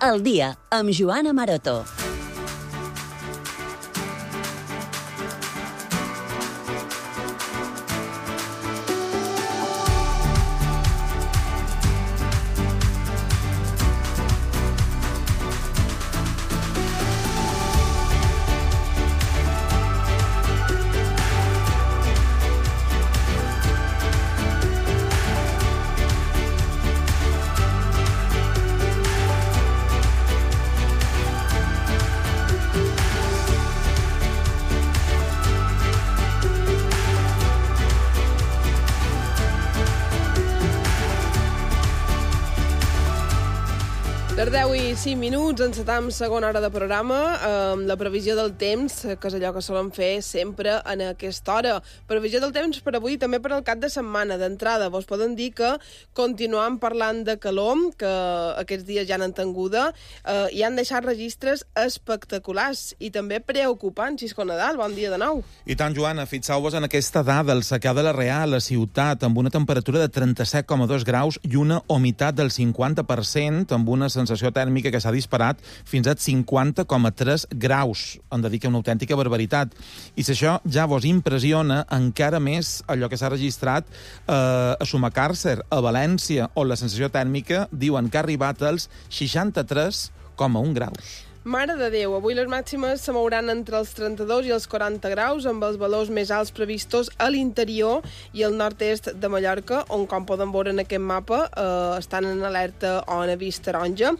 al dia, amb Joana Maroto. Les 10 i 5 minuts, encetam segona hora de programa, amb la previsió del temps, que és allò que solen fer sempre en aquesta hora. Previsió del temps per avui, també per al cap de setmana. D'entrada, vos poden dir que continuem parlant de calor, que aquests dies ja n'han tinguda, i han deixat registres espectaculars i també preocupants. Xisco Nadal, bon dia de nou. I tant, Joana, fixeu-vos en aquesta dada, el secà de la Real, a la ciutat, amb una temperatura de 37,2 graus i una humitat del 50%, amb una sensació tèrmica que s'ha disparat fins a 50,3 graus. Hem de dir que una autèntica barbaritat. I si això ja vos impressiona, encara més allò que s'ha registrat a Sumacàrcer, a València, on la sensació tèrmica diuen que ha arribat als 63,1 graus. Mare de Déu, avui les màximes se mouran entre els 32 i els 40 graus, amb els valors més alts previstos a l'interior i al nord-est de Mallorca, on, com poden veure en aquest mapa, estan en alerta o en avís taronja.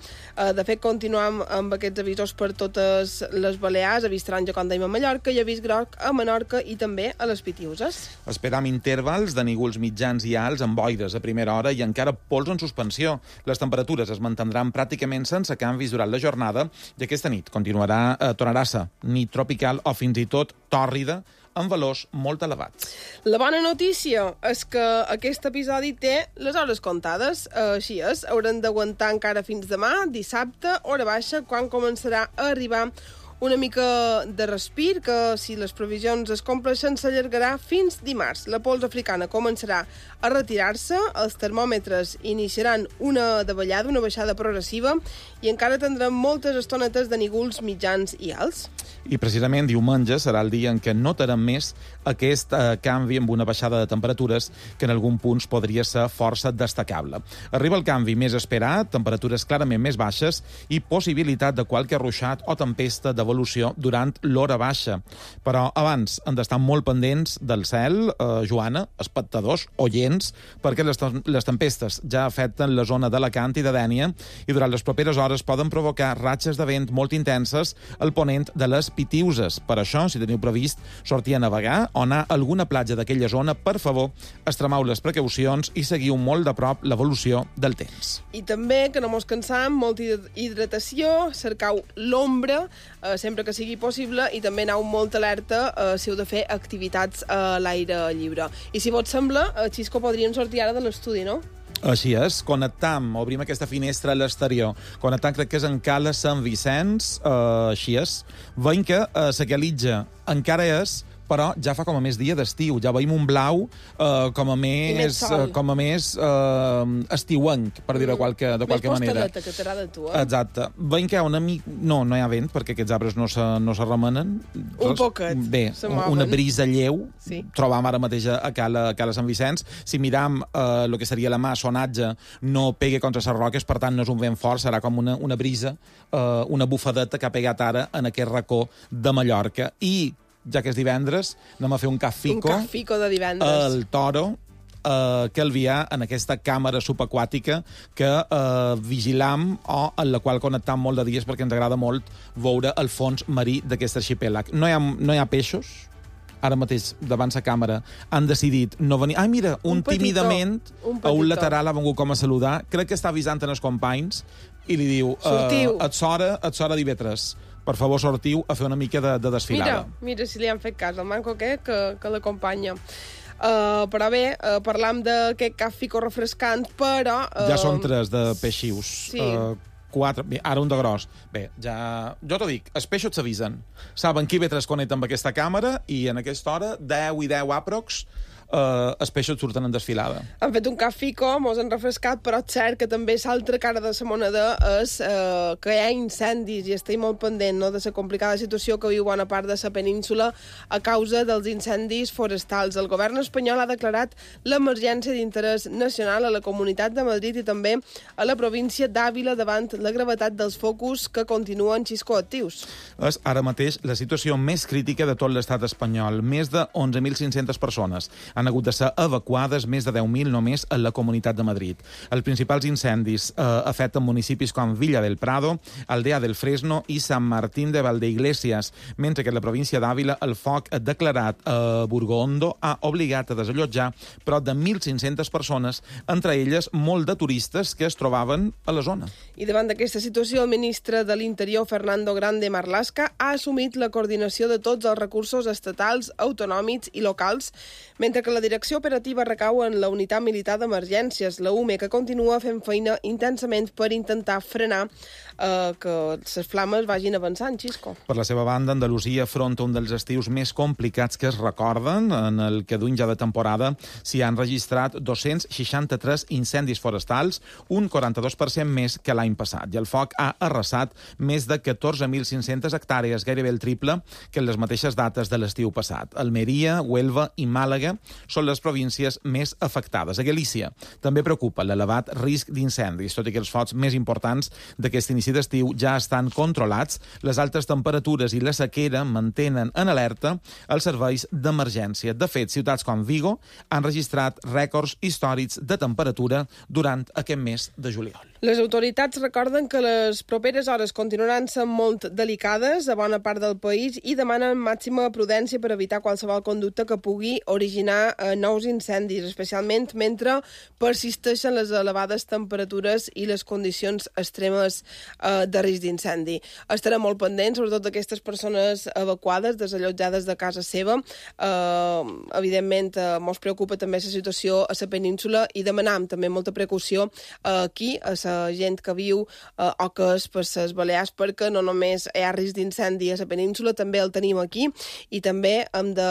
De fet, continuem amb aquests avisos per totes les Balears, avís taronja, com dèiem, a Mallorca, i avís groc a Menorca i també a les Pitiüses. Esperam intervals de nígols mitjans i alts amb boires a primera hora i encara pols en suspensió. Les temperatures es mantindran pràcticament sense canvis durant la jornada i aquesta nit tornarà a ser nit tropical o fins i tot tòrrida, amb valors molt elevats. La bona notícia és que aquest episodi té les hores comptades. Així és, haurem d'aguantar encara fins demà, dissabte, hora baixa, quan començarà a arribar una mica de respir, que si les previsions es compleixen s'allargarà fins dimarts. La pols africana començarà a retirar-se, els termòmetres iniciaran una davallada, una baixada progressiva, i encara tindrem moltes estonetes de nígols mitjans i alts. I precisament diumenge serà el dia en què notarem més aquest canvi amb una baixada de temperatures que en algun punt podria ser força destacable. Arriba el canvi més esperat, temperatures clarament més baixes i possibilitat de qualque ruixat o tempesta d'evolució durant l'hora baixa. Però abans hem d'estar molt pendents del cel, Joana, espectadors, oients, perquè les tempestes ja afecten la zona d'Alacant i de Dénia i durant les properes hores poden provocar ratxes de vent molt intenses al ponent de les Pitiüses. Per això, si teniu previst sortir a navegar o anar a alguna platja d'aquella zona, per favor, extremeu les precaucions i seguiu molt de prop l'evolució del temps. I també, que no mos cansam, molta hidratació, cercau l'ombra, sempre que sigui possible, i també aneu molt alerta si heu de fer activitats a l'aire lliure. I si vos sembla, Xisco, podríem sortir ara de l'estudi, no? Així és, connectam, obrim aquesta finestra a l'exterior, connectam, crec que és en Cala Sant Vicenç, així és, veiem que la Calitja encara és, però ja fa com a més dia d'estiu, ja veiem un blau com a més estiuenc, per dir-ho de qualque manera. Més postaleta, que t'agrada a tu, Exacte. Veiem que hi ha una mica... No hi ha vent, perquè aquests arbres no se remenen. Un poquet. Bé, una brisa lleu, sí. Trobam ara mateix a Cala Sant Vicenç. Si miram el que seria la mà, sonatge, no pega contra les roques, per tant no és un vent fort, serà com una brisa, una bufadeta que ha pegat ara en aquest racó de Mallorca. I ja que és divendres, anem a fer un cafico de divendres al Toro, que Calvià, en aquesta càmera subaquàtica que vigilam o en la qual connectam molt de dies perquè ens agrada molt veure el fons marí d'aquest arxipèlag. No hi ha peixos, ara mateix davant la càmera han decidit no venir. Ai, mira, un tímidament a un lateral ha vengut com a saludar, crec que està avisant en els companys i li diu, et sora d'IV3. Per favor, sortiu a fer una mica de desfilada. Mira si li han fet cas, el manco que l'acompanya. Però bé, parlam d'aquest cafico refrescant, però... Ja són 3 de peixius. Sí. 4, bé, ara un de gros. Bé, ja... Jo t'ho dic, els peixos s'avisen. Saben qui ve 3 connecta amb aquesta càmera i en aquesta hora, 10 i 10 aprox, els peixos surten en desfilada. Han fet un cap fico, mos han refrescat, però és cert que també l'altra cara de la moneda és que hi ha incendis i estic molt pendent de la complicada situació que viu bona part de la península a causa dels incendis forestals. El govern espanyol ha declarat l'emergència d'interès nacional a la Comunitat de Madrid i també a la província d'Àvila davant la gravetat dels focus que continuen actius. És ara mateix la situació més crítica de tot l'estat espanyol. Més de 11.500 persones han hagut de ser evacuades, més de 10.000 només a la Comunitat de Madrid. Els principals incendis afecten municipis com Villa del Prado, Aldea del Fresno i Sant Martín de Valdeiglesias, mentre que a la província d'Àvila el foc declarat a Burgondo ha obligat a desallotjar prop de 1.500 persones, entre elles molt de turistes que es trobaven a la zona. I davant d'aquesta situació, el ministre de l'Interior, Fernando Grande Marlaska, ha assumit la coordinació de tots els recursos estatals, autonòmics i locals, mentre que la direcció operativa recau en la Unitat Militar d'Emergències, la UME, que continua fent feina intensament per intentar frenar que les flames vagin avançant, Xisco. Per la seva banda, Andalusia afronta un dels estius més complicats que es recorden. En el que duim ja de temporada s'hi han registrat 263 incendis forestals, un 42% més que l'any passat. I el foc ha arrasat més de 14.500 hectàrees, gairebé el triple que en les mateixes dates de l'estiu passat. Almeria, Huelva i Màlaga són les províncies més afectades. A Galícia també preocupa l'elevat risc d'incendis, tot i que els focs més importants d'aquest inici d'estiu ja estan controlats. Les altes temperatures i la sequera mantenen en alerta els serveis d'emergència. De fet, ciutats com Vigo han registrat rècords històrics de temperatura durant aquest mes de juliol. Les autoritats recorden que les properes hores continuaran sent molt delicades a bona part del país i demanen màxima prudència per evitar qualsevol conducta que pugui originar nous incendis, especialment mentre persisteixen les elevades temperatures i les condicions extremes de risc d'incendi. Estarem molt pendents, sobretot d'aquestes persones evacuades, desallotjades de casa seva. Evidentment, ens preocupa també la situació a la península i demanam també molta precaució aquí, a la gent que viu o que és per les Balears, perquè no només hi ha risc d'incendi a la península, també el tenim aquí i també hem de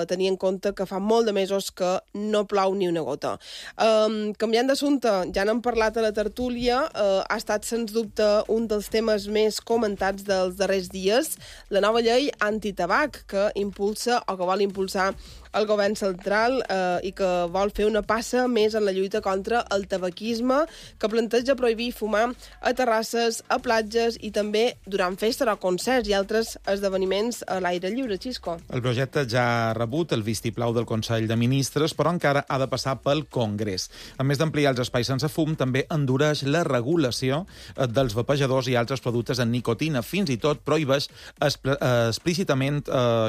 tenir en compte que fa molt de mesos que no plou ni una gota. Canviant d'assumpte, ja n'hem parlat a la tertúlia, ha estat sens dubte un dels temes més comentats dels darrers dies, la nova llei antitabac que impulsa o que vol impulsar el govern central i que vol fer una passa més en la lluita contra el tabaquisme, que planteja prohibir fumar a terrasses, a platges i també durant festes o concerts i altres esdeveniments a l'aire lliure, Xisco. El projecte ja ha rebut el vistiplau del Consell de Ministres, però encara ha de passar pel Congrés. A més d'ampliar els espais sense fum, també endureix la regulació dels vapejadors i altres productes en nicotina. Fins i tot prohibeix explícitament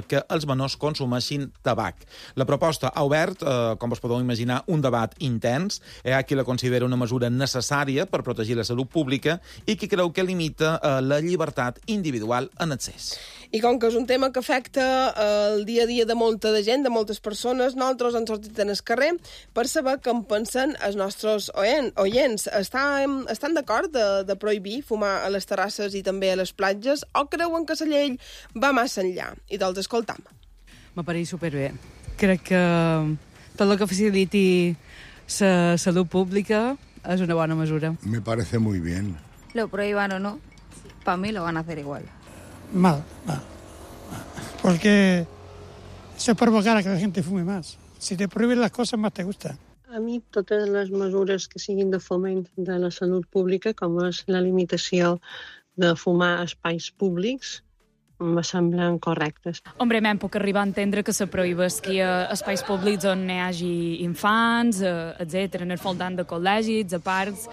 que els menors consumeixin tabac. La proposta ha obert, com us podeu imaginar, un debat intens. Hi ha qui la considera una mesura necessària per protegir la salut pública i qui creu que limita la llibertat individual en excés. I com que és un tema que afecta el dia a dia de molta de gent, de moltes persones, nosaltres hem sortit en el carrer per saber què en pensen els nostres oients. Estan d'acord de prohibir fumar a les terrasses i també a les platges o creuen que la llei va massa enllà? I doncs escoltam. M'apareix superbé. Crec que tot el que faciliti la salut pública es una buena mesura. Me parece muy bien. Lo prohíban o no, para mí lo van a hacer igual. Mal. Porque eso es provocar a que la gente fume más. Si te prohíben las cosas, más te gusta. A mi totes les mesures que siguin de foment de la salut pública, com és la limitació de fumar a espais públics, me semblen correctes. Hombre, me'n puc arribar a entendre que se prohibesqui a espais públics on hi hagi infants, etc. En el voltant de col·legis, a parcs,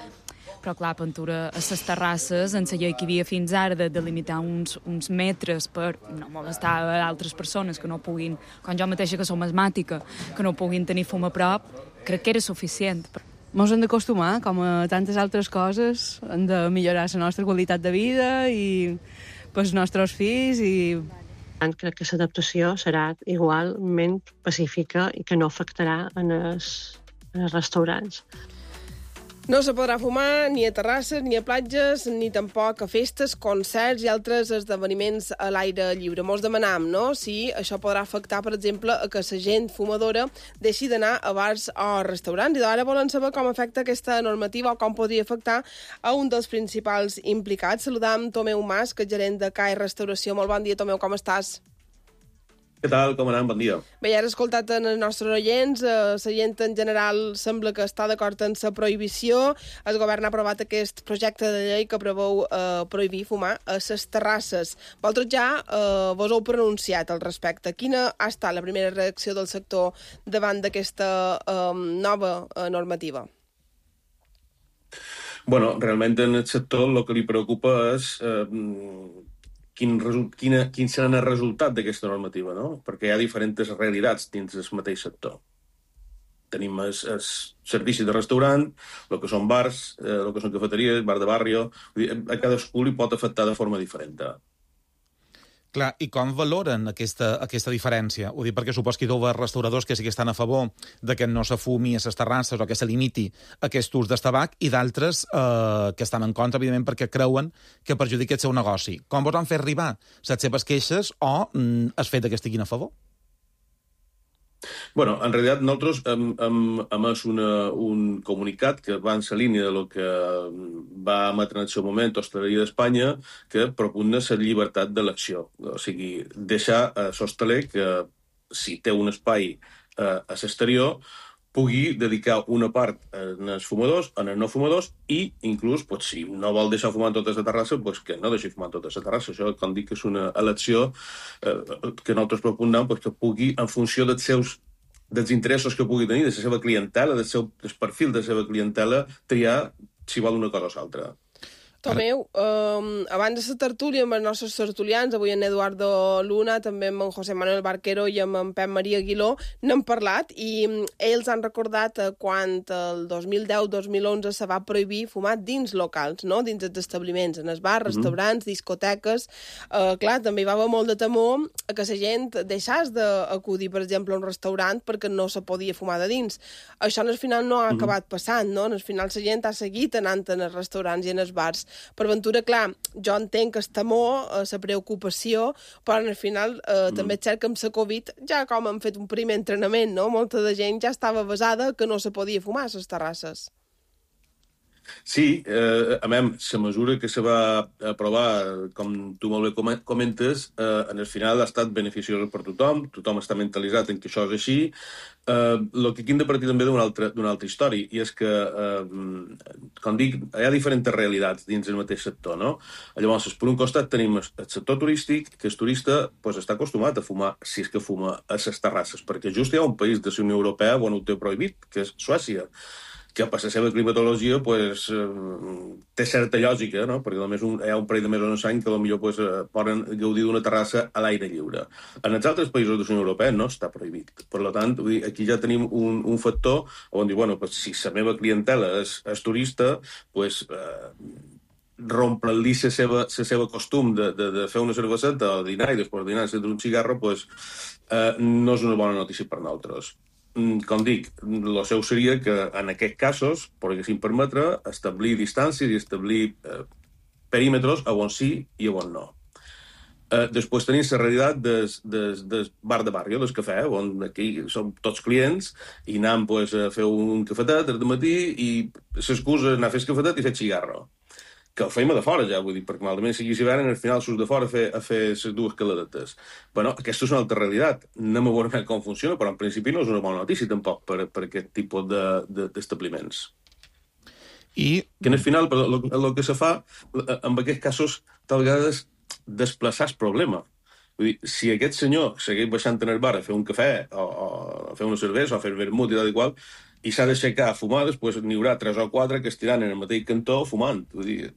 però clar, pintura a les terrasses, en la llei que hi havia fins ara de delimitar uns metres per no molestar a altres persones que no puguin, com jo mateixa que som asmàtica, que no puguin tenir fum a prop, crec que era suficient. Ens hem d'acostumar, com a tantes altres coses, hem de millorar la nostra qualitat de vida i pels nostres fills i... Crec que l'adaptació serà igualment pacífica i que no afectarà en els restaurants. No se podrà fumar ni a terrasses, ni a platges, ni tampoc a festes, concerts i altres esdeveniments a l'aire lliure. Mos demanam, no?, si això podrà afectar, per exemple, a que la gent fumadora deixi d'anar a bars o restaurants. I d'ara volen saber com afecta aquesta normativa o com podria afectar a un dels principals implicats. Saludam Tomeu Mas, que és gerent de CAE Restauració. Molt bon dia, Tomeu, com estàs? Què tal? Com anem? Bon dia. Bé, ja has escoltat en els nostres oients, la gent en general sembla que està d'acord en la prohibició. El govern ha aprovat aquest projecte de llei que preveu prohibir fumar a les terrasses. Vosaltres ja vos heu pronunciat al respecte. Quina ha estat la primera reacció del sector davant d'aquesta nova normativa? Bueno, realment en el sector el que li preocupa és quin serà el resultat d'aquesta normativa, no? Perquè hi ha diferents realitats dins del mateix sector. Tenim els servicis de restaurant, el que són bars, el que són cafeteries, bar de barri, a cadascú li pot afectar de forma diferent. Clar, i com valoren aquesta diferència? Ho dic perquè supos que hi ha restauradors que sí que estan a favor de que no se fumi a les terrasses o que se limiti aquest ús del tabac i d'altres que estan en contra, evidentment, perquè creuen que perjudica el seu negoci. Com vos han fet arribar les seves queixes o el fet que estiguin a favor? Bueno, en realitat nosaltres hem emès un comunicat que va en la línia del que va emetre en el seu moment l'Hostaleria d'Espanya, que propugna la llibertat d'elecció. O sigui, deixar a l'hostaler que, si té un espai a l'exterior, pugui dedicar una part als fumadors, als no fumadors, i inclús, pues, si no vol deixar fumar tota la terrassa, pues, que no deixi fumar tota la terrassa. Això, com dic, és una elecció que nosaltres propugnem, pues, que pugui, en funció dels interessos que pugui tenir, de la seva clientela, del perfil de la seva clientela, triar si vol una cosa o l'altra. Tomeu, abans de la tertúlia amb els nostres tertulians, avui en Eduardo Luna, també amb en José Manuel Barquero i amb en Pep Maria Aguiló, n'hem parlat i ells han recordat quan el 2010-2011 se va prohibir fumar dins locals, no? Dins els establiments, en els bars, restaurants, discoteques. Clar, també hi va haver molt de temor que la gent deixés d'acudir, per exemple, a un restaurant perquè no se podia fumar de dins. Això, al final, no ha acabat passant, no? Al final, la gent ha seguit anant en els restaurants i en els bars. Per ventura, clar, jo entenc el temor, la preocupació, però al final també és cert que amb la Covid ja com han fet un primer entrenament, no? Molta de gent ja estava avasada que no se podia fumar a les terrasses. Sí, a més, la mesura que se va aprovar, com tu molt bé comentes, en el final ha estat beneficiosa per tothom està mentalitzat en que això és així. El que aquí hem de partir també d'una altra història, i és que, com dic, hi ha diferents realitats dins del mateix sector, no? Llavors, per un costat tenim el sector turístic, que el turista està acostumat a fumar, si és que fuma a les terrasses, perquè just hi ha un país de la Unió Europea on ho té prohibit, que és Suècia, que per la seva climatologia té certa lògica, no? Perquè només hi ha un parell de mesos en l'any que potser poden gaudir d'una terrassa a l'aire lliure. En els altres països de la Unió Europea no està prohibit. Per tant, aquí ja tenim un factor on diu, bueno, si la meva clientela és turista, rompre-li la seva costum de fer una cerveseta al dinar i després del dinar encendre un cigarro, no és una bona notícia per nosaltres. Com dic, el seu seria que en aquests casos poguessin permetre establir distàncies i establir perímetres a on sí i a on no. Després tenim la realitat del bar de barri, del cafè, on aquí som tots clients i anem a fer un cafetet al matí i l'excusa és anar a fer el cafetet i fer cigarro. Que ho feim de fora ja, vull dir, perquè malament sigui hivern, al final surts de fora a fer les dues caladetes. Bueno, aquesta és una altra realitat. No m'ho veurem com funciona, però en principi no és una bona notícia tampoc per aquest tipus d'establiments. I que al final el que se fa, en aquests casos, tal vegada és desplaçar el problema. Vull dir, si aquest senyor segueix baixant en el bar a fer un cafè o a fer una cervesa o a fer vermut i tal i qual, i s'ha d'aixecar a fumar, després n'hi haurà 3 o 4 que estiran en el mateix cantó fumant. Vull dir,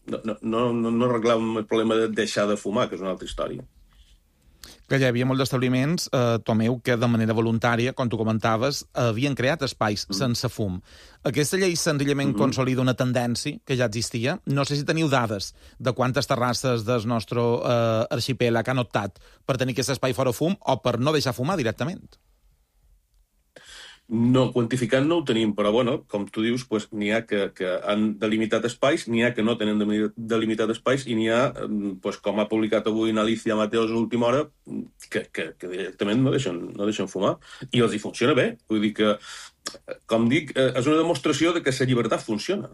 no arreglem el problema de deixar de fumar, que és una altra història. Que hi havia molts establiments, Tomeu, que de manera voluntària, com tu comentaves, havien creat espais sense fum. Aquesta llei senzillament consolida una tendència que ja existia. No sé si teniu dades de quantes terrasses del nostre arxipèlag han optat per tenir aquest espai fora fum o per no deixar fumar directament. No, quantificant no ho tenim, però bueno, com tu dius, pues, n'hi ha que han delimitat espais, n'hi ha que no tenen delimitat espais i n'hi ha, pues, com ha publicat avui Alicia Mateos a l'última hora, que directament no deixen fumar. I els hi funciona bé. Vull dir que, com dic, és una demostració de que la llibertat funciona.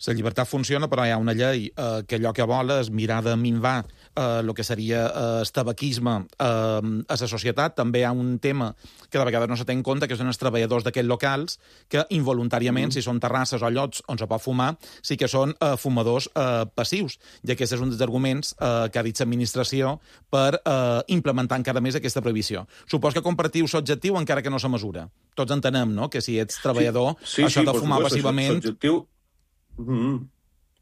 La llibertat funciona, però hi ha una llei que allò que vol és mirar de minvar el que seria el tabaquisme a la societat. També hi ha un tema que de vegades no se té en compte, que són els treballadors d'aquests locals que involuntàriament, si són terrasses o llocs on se pot fumar, sí que són fumadors passius. I aquest és un dels arguments que ha dit l'administració per implementar encara més aquesta prohibició. Supos que compartiu l'objectiu encara que no se mesura. Tots entenem, no?, que si ets treballador, això de fumar passivament...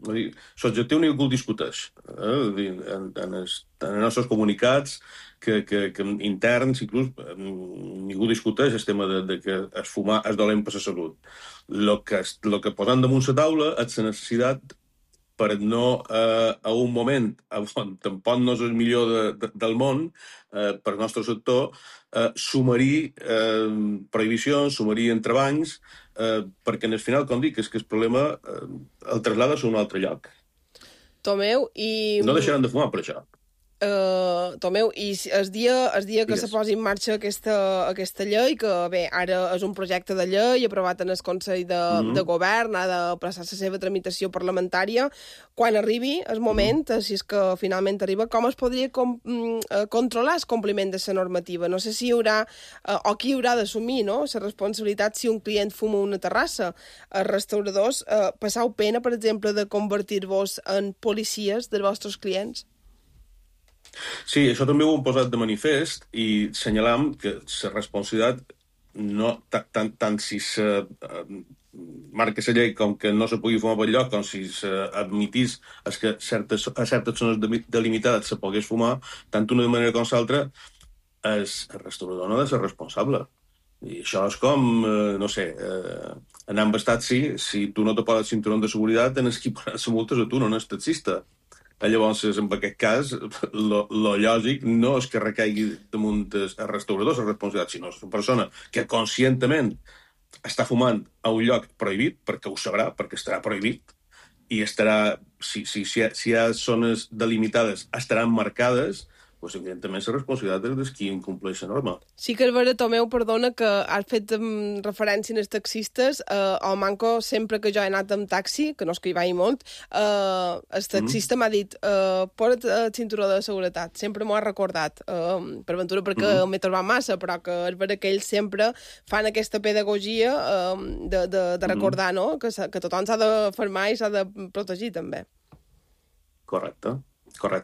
L'objectiu ningú el discuteix. En els nostres comunicats interns, inclús, ningú discuteix el tema de que el fumar és dolent per la salut. El que posem damunt la taula és la necessitat per no, a un moment on tampoc no és el millor del món, per al nostre sector, sumarir prohibicions, sumarir entrebancs, perquè en el final, com dic, és que el problema el traslada a un altre lloc. Tomeu, i... No deixaran de fumar per això. Tomeu, i el dia que se posi en marxa aquesta llei, que bé, ara és un projecte de llei aprovat en el Consell de Govern, ha de passar la seva tramitació parlamentària, quan arribi el moment, si és que finalment arriba, com es podria controlar el compliment de la normativa? No sé si hi haurà, o qui haurà d'assumir, no?, la responsabilitat si un client fuma una terrassa. Els restauradors, passau pena, per exemple, de convertir-vos en policies dels vostres clients? Sí, això també ho hem posat de manifest i assenyalam que la responsabilitat, no, tant si se marca la llei com que no se pugui fumar per lloc, com si s'admitís que a certes zones delimitades se pogués fumar, tant una manera com l'altra, el restaurador no ha de ser responsable. I això és com, no sé, anar amb el taxi, si tu no te poses cinturó de seguretat, tens que pagar la multa a tu, no és taxista. Llavors, en aquest cas, lo lògic no és que recaigui damunt el restaurador la responsabilitat, sinó una persona que conscientment està fumant a un lloc prohibit, perquè ho sabrà, perquè estarà prohibit, i estarà, si hi ha zones delimitades, estaran marcades, doncs, evidentment, la responsabilitat és de qui incompleix la norma. Sí que és vera, Tomeu, perdona, que has fet referència als taxistes. Al Manco, sempre que jo he anat amb taxi, que no és que hi vagi molt, el taxista m'ha dit posa't el cinturó de seguretat. Sempre m'ho ha recordat. Per ventura, perquè m'he trobat massa, però que és vera que ells sempre fan aquesta pedagogia de recordar, no?, que tothom s'ha de fermar i s'ha de protegir, també. Correcte.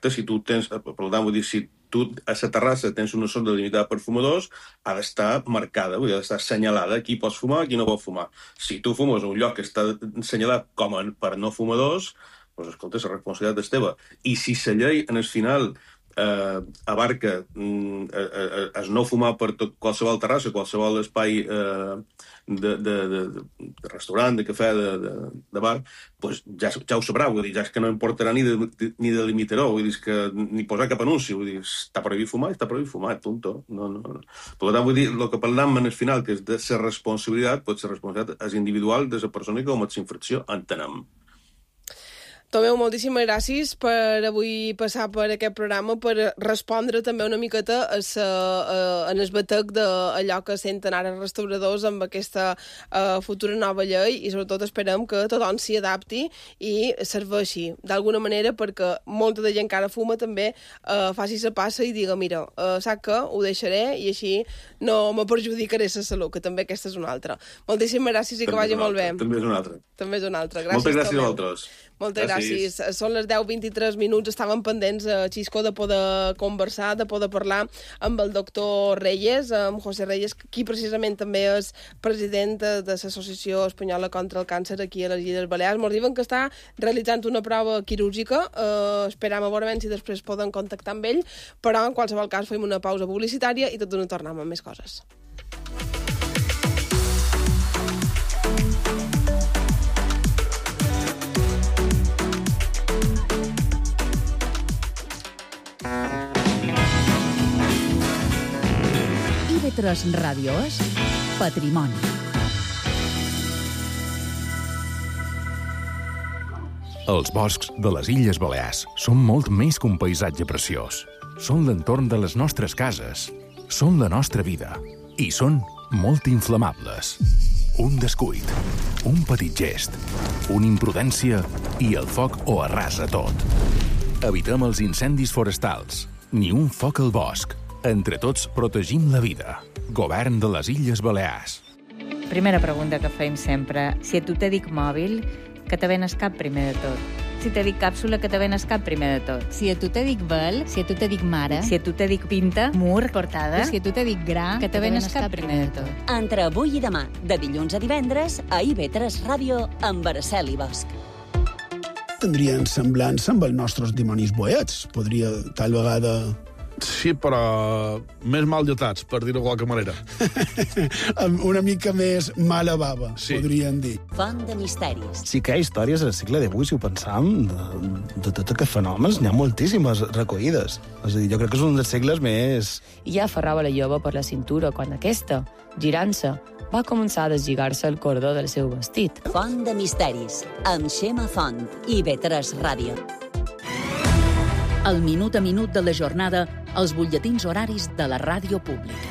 Si tu tens, per tant, vull dir, si tu a la terrassa tens una zona delimitada per fumadors, ha d'estar marcada, vull dir, ha d'estar assenyalada qui pots fumar i qui no pot fumar. Si tu fumes a un lloc que està assenyalat com per no fumadors, doncs, escolta, la responsabilitat és teva. I si la llei, en el final, abarca es no fumar per qualsevol terrassa, qualsevol espai de restaurant, de cafè, de bar, doncs ja ho sabrà, vull dir, ja és que no importarà ni delimitar-ho, vull dir, que ni posar cap anunci, vull dir, està prohibit fumar, punto. Per tant, vull dir, el que parlem en el final, que és de la responsabilitat, doncs la responsabilitat és individual de la persona que comet la infracció, entenem. Tomeu, moltíssimes gràcies per avui passar per aquest programa, per respondre també una miqueta en el batec d'allò que senten ara els restauradors amb aquesta futura nova llei, i sobretot esperem que tothom s'hi adapti i serveixi d'alguna manera perquè molta de gent que ara fuma també faci la passa i diga, mira, saps què? Ho deixaré i així no me perjudicaré la salut, que també aquesta és una altra. Moltíssimes gràcies i que vagi molt bé. També és una altra. Gràcies, moltes gràcies a vosaltres. Moltes gràcies. Són les 10:23, estàvem pendents a Xisco de poder conversar, de poder parlar amb el doctor Reyes, amb José Reyes, qui precisament també és president de l'Associació Espanyola contra el Càncer aquí a les Illes Balears. Ens diuen que està realitzant una prova quirúrgica, esperam a veure si després poden contactar amb ell, però en qualsevol cas fem una pausa publicitària i tot d'una tornem amb més coses. IB3 Ràdio és Patrimoni. Els boscs de les Illes Balears són molt més que un paisatge preciós. Són l'entorn de les nostres cases, són la nostra vida i són molt inflamables. Un descuit, un petit gest, una imprudència i el foc ho arrasa tot. Evitem els incendis forestals, ni un foc al bosc. Entre tots protegim la vida. Govern de les Illes Balears. Primera pregunta que fem sempre. Si a tu te dic mòbil, que te venes cap primer de tot. Si te dic càpsula, que te venes cap primer de tot. Si a tu te dic vel, si a tu te dic mare, si a tu te dic pinta, mur, portada, si a tu te dic gra, que te venes cap primer de tot. Entre avui i demà, de dilluns a divendres, a IB3 Ràdio, amb Araceli Bosch. Tindrien semblança amb els nostres dimonis boets. Podria, tal vegada... Sí, però més mal lletats, per dir-ho de qualque manera. Una mica més mala bava, sí. Podríem dir. Font de misteris. Sí que hi ha històries al segle XVIII, si ho pensam, de tots aquests fenòmens, n'hi ha moltíssimes recollides. És a dir, jo crec que és un dels segles més... I ja aferrava la jove per la cintura quan aquesta, girant-se, va començar a deslligar-se el cordó del seu vestit. Font de misteris, amb Xema Font, IB3 Ràdio. El minut a minut de la jornada, els butlletins horaris de la ràdio pública.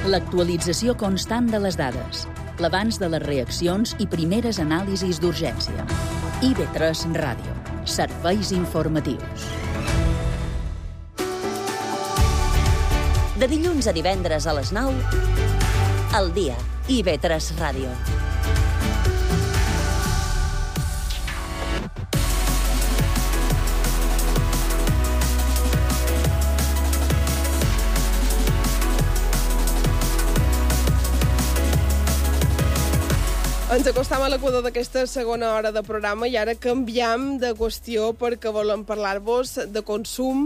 L'actualització constant de les dades, l'abans de les reaccions i primeres anàlisis d'urgència. IB3 Ràdio. Serveis informatius. De dilluns a divendres a les 9, al dia, IB3 Ràdio. Ens acostam a l'equador d'aquesta segona hora de programa i ara canviem de qüestió perquè volem parlar-vos de consum,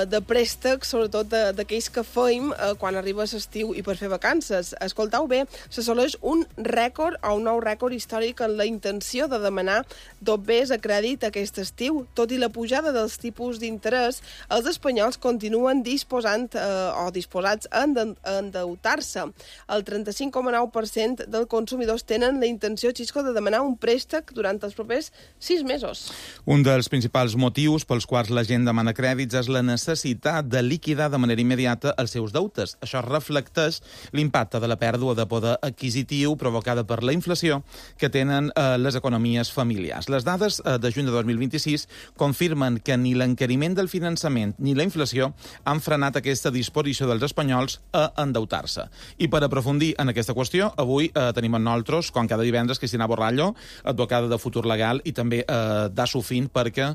de préstecs, sobretot d'aquells que feim quan arriba l'estiu i per fer vacances. Escoltau bé, s'assoleix un rècord o un nou rècord històric en la intenció de demanar dobbers a crèdit aquest estiu. Tot i la pujada dels tipus d'interès, els espanyols continuen disposats a endeutar-se. El 35,9% dels consumidors tenen la intenció, Xisco, de demanar un préstec durant els propers 6 mesos. Un dels principals motius pels quals la gent demana crèdits és la necessitat de liquidar de manera immediata els seus deutes. Això reflecteix l'impacte de la pèrdua de poder adquisitiu provocada per la inflació que tenen les economies familiars. Les dades de juny de 2026 confirmen que ni l'encariment del finançament ni la inflació han frenat aquesta disposició dels espanyols a endeutar-se. I per aprofundir en aquesta qüestió, avui tenim amb nosaltres, com cada divendres, Cristina Borrallo, advocada de Futur Legal, i també d'Assofin, perquè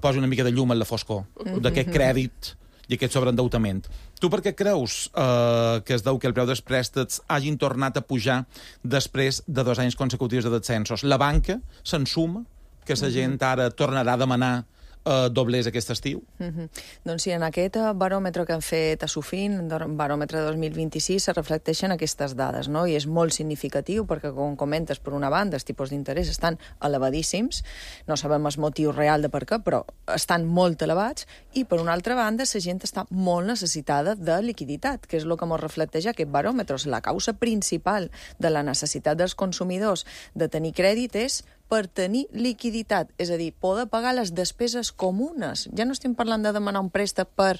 posi una mica de llum en la foscor d'aquest crèdit i aquest sobreendeutament. Tu per què creus que es deu que el preu dels préstecs hagin tornat a pujar després de 2 anys consecutius de descensos? La banca s'ensuma que la gent ara tornarà a demanar doblers aquest estiu? Doncs sí, en aquest baròmetre que han fet a Sofin, baròmetre 2026, se reflecteixen aquestes dades, no? I és molt significatiu perquè, com comentes, per una banda, els tipus d'interès estan elevadíssims, no sabem el motiu real de per què, però estan molt elevats, i per una altra banda, la gent està molt necessitada de liquiditat, que és el que ens reflecteix aquest baròmetre. La causa principal de la necessitat dels consumidors de tenir crèdit és per tenir liquiditat, és a dir, poder pagar les despeses comunes. Ja no estem parlant de demanar un préstec per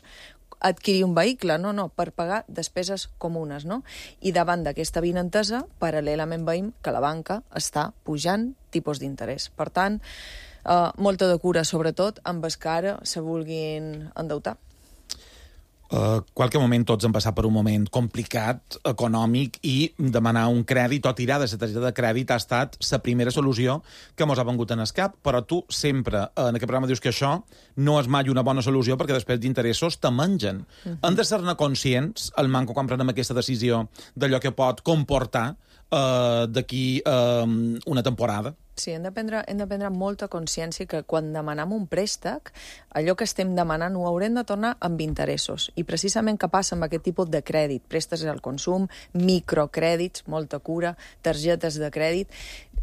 adquirir un vehicle, no, per pagar despeses comunes, no? I davant d'aquesta avinentesa, paral·lelament veiem que la banca està pujant tipus d'interès. Per tant, molta de cura, sobretot, amb els que ara se vulguin endeutar. Qualque moment tots hem passat per un moment complicat, econòmic, i demanar un crèdit o tirar de la targeta de crèdit ha estat la primera solució que mos ha vengut en el cap, però tu sempre en aquest programa dius que això no és mai una bona solució perquè després d'interessos te mengen. Hem de ser-ne conscients, el manco quan prenem aquesta decisió, d'allò que pot comportar d'aquí una temporada? Sí, hem de prendre molta consciència que quan demanem un préstec, allò que estem demanant ho haurem de tornar amb interessos. I precisament què passa amb aquest tipus de crèdit? Préstecs al consum, microcrèdits, molta cura, targetes de crèdit.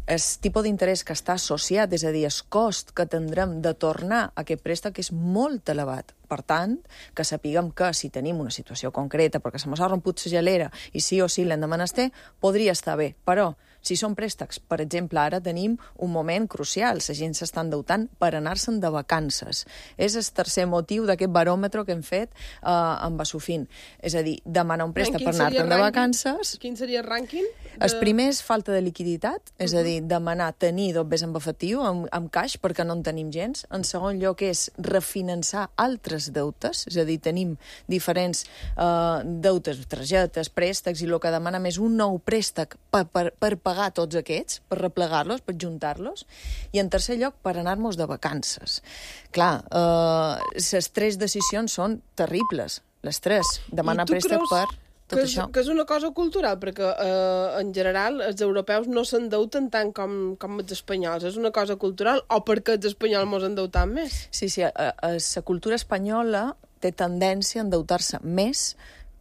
el tipus d'interès que està associat, és a dir, el cost que tindrem de tornar aquest préstec és molt elevat. Per tant, que sapiguem que si tenim una situació concreta, perquè se m'ha romput la gelera i sí o sí l'hem de menester, podria estar bé. Però, si són préstecs, per exemple, ara tenim un moment crucial. La gent s'està endeutant per anar-se'n de vacances. És el tercer motiu d'aquest baròmetre que hem fet amb Basofin. És a dir, demanar un préstec per anar-te'n de vacances. Quin seria el rànquing? El primer és falta de liquiditat, és a dir, demanar tenir dos vés amb efectiu, amb caix, perquè no en tenim gens. En segon lloc és refinançar altres deutes, és a dir, tenim diferents deutes, targetes, préstecs, i el que demanem és un nou préstec per pagar tots aquests, per replegar-los, per juntar-los, i en tercer lloc per anar-nos de vacances. Clar, les tres decisions són terribles, les tres. Demanar préstec per tot això. Que és una cosa cultural, perquè en general els europeus no s'endeuten tant com els espanyols. És una cosa cultural o perquè els espanyols mos endeutem més? Sí, la cultura espanyola té tendència a endeutar-se més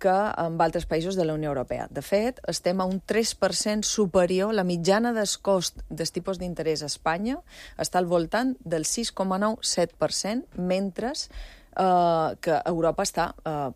que en altres països de la Unió Europea. De fet, estem a un 3% superior. La mitjana del cost dels tipus d'interès a Espanya està al voltant del 6,9-7%, mentre que Europa està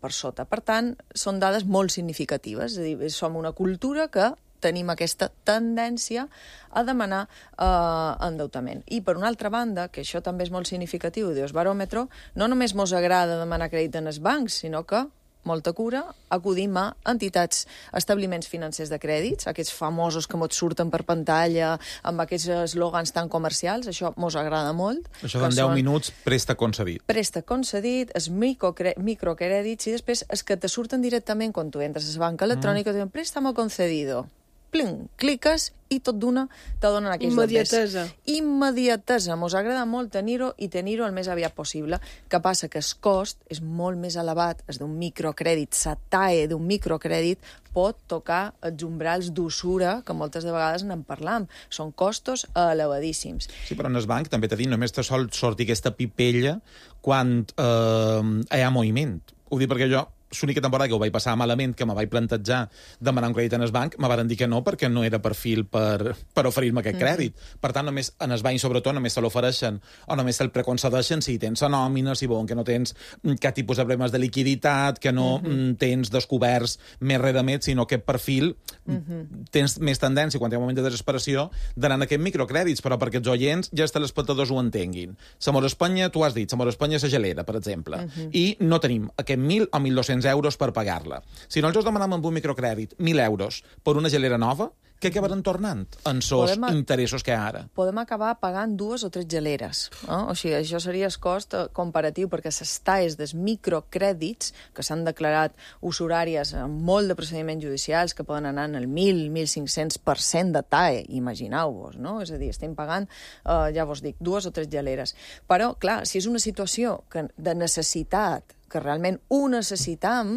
per sota. Per tant, són dades molt significatives. És a dir, som una cultura que tenim aquesta tendència a demanar endeutament. I, per una altra banda, que això també és molt significatiu, dius, baròmetre, no només mos agrada demanar crèdit en els bancs, sinó que molta cura, acudim a entitats, establiments financers de crèdits, aquests famosos que mos surten per pantalla, amb aquests eslògans tan comercials, això mos agrada molt. Això d'en 10 minuts, préstec concedit. Préstec concedit, els microcrèdits, i després els que te surten directament quan tu entres a la banca electrònica, diuen préstamo concedido. Plim, cliques i tot d'una te donen aquells immediatesa. Immediatesa. Mos agrada molt tenir-ho i tenir-ho el més aviat possible. Que passa que el cost és molt més elevat. És d'un microcrèdit. La TAE d'un microcrèdit pot tocar els umbrals d'usura, que moltes de vegades n'en parlam. Són costos elevadíssims. Sí, però en el banc també t'he dit, només te sol sortir aquesta pipella quan hi ha moviment. Ho dic perquè jo l'única temporada que ho vaig passar malament, que me vaig plantejar demanar un crèdit en el banc, me van dir que no, perquè no era perfil per oferir-me aquest crèdit. Per tant, només en el banc, sobretot, només se l'ofereixen o només se'l preconcedeixen si tens la nòmina, si veuen que no tens cap tipus de problemes de liquiditat, que no tens descoberts més redemets, sinó que perfil tens més tendència, quan hi ha un moment de desesperació, d'anar en aquests microcrèdits, però perquè els oients ja els telespectadors ho entenguin. Samor Espanya, tu has dit, Samor Espanya és la gelera, per exemple, i no tenim aquest 1.000 o 1.200 euros per pagar-la. Si no els demanem amb un microcrèdit 1.000 euros per una gelera nova, què acabaran tornant en sos interessos que hi ha ara? Podem acabar pagant 2 o 3 geleres. O sigui, això seria el cost comparatiu, perquè les TAEs dels microcrèdits, que s'han declarat usuràries amb molt de procediments judicials, que poden anar en el 1.000-1.500% de TAE, imagineu-vos, no? És a dir, estem pagant, ja vos dic, 2 o 3 geleres. Però, clar, si és una situació de necessitat, que realment ho necessitam,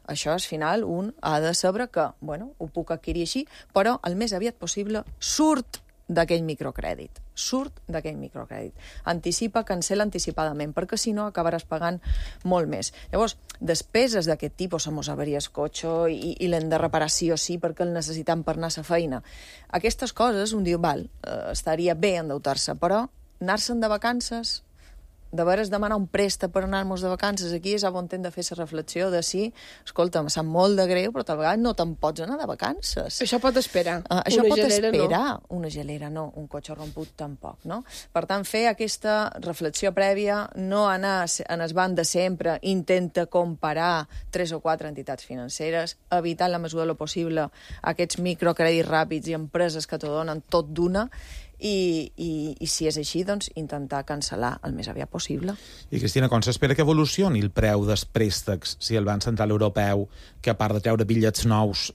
això, al final, un ha de saber que, bueno, ho puc adquirir així, però el més aviat possible surt d'aquell microcrèdit. Surt d'aquell microcrèdit. Anticipa, cancela anticipadament, perquè si no acabaràs pagant molt més. Llavors, despeses d'aquest tipus, mos averia el cotxe i l'hem de reparar sí o sí perquè el necessitam per anar a la feina. Aquestes coses, un diu, val, estaria bé endeutar-se, però anar-se'n de vacances, de veres demanar un préstec per anar-nos de vacances, aquí és on hem de fer la reflexió de si, escolta, em sap molt de greu, però tal vegada no te'n pots anar de vacances. Això pot esperar. Això pot esperar. Una gelera no, un cotxe romput tampoc, no? Per tant, fer aquesta reflexió prèvia, no anar en el banc de sempre, intenta comparar 3 o 4 entitats financeres, evitar en la mesura del possible aquests microcrèdits ràpids i empreses que t'ho donen tot d'una, i si és així, doncs, intentar cancel·lar el més aviat possible. I, Cristina, com s'espera que evolucioni el preu dels préstecs si el Banc Central Europeu, que a part de treure bitllets nous,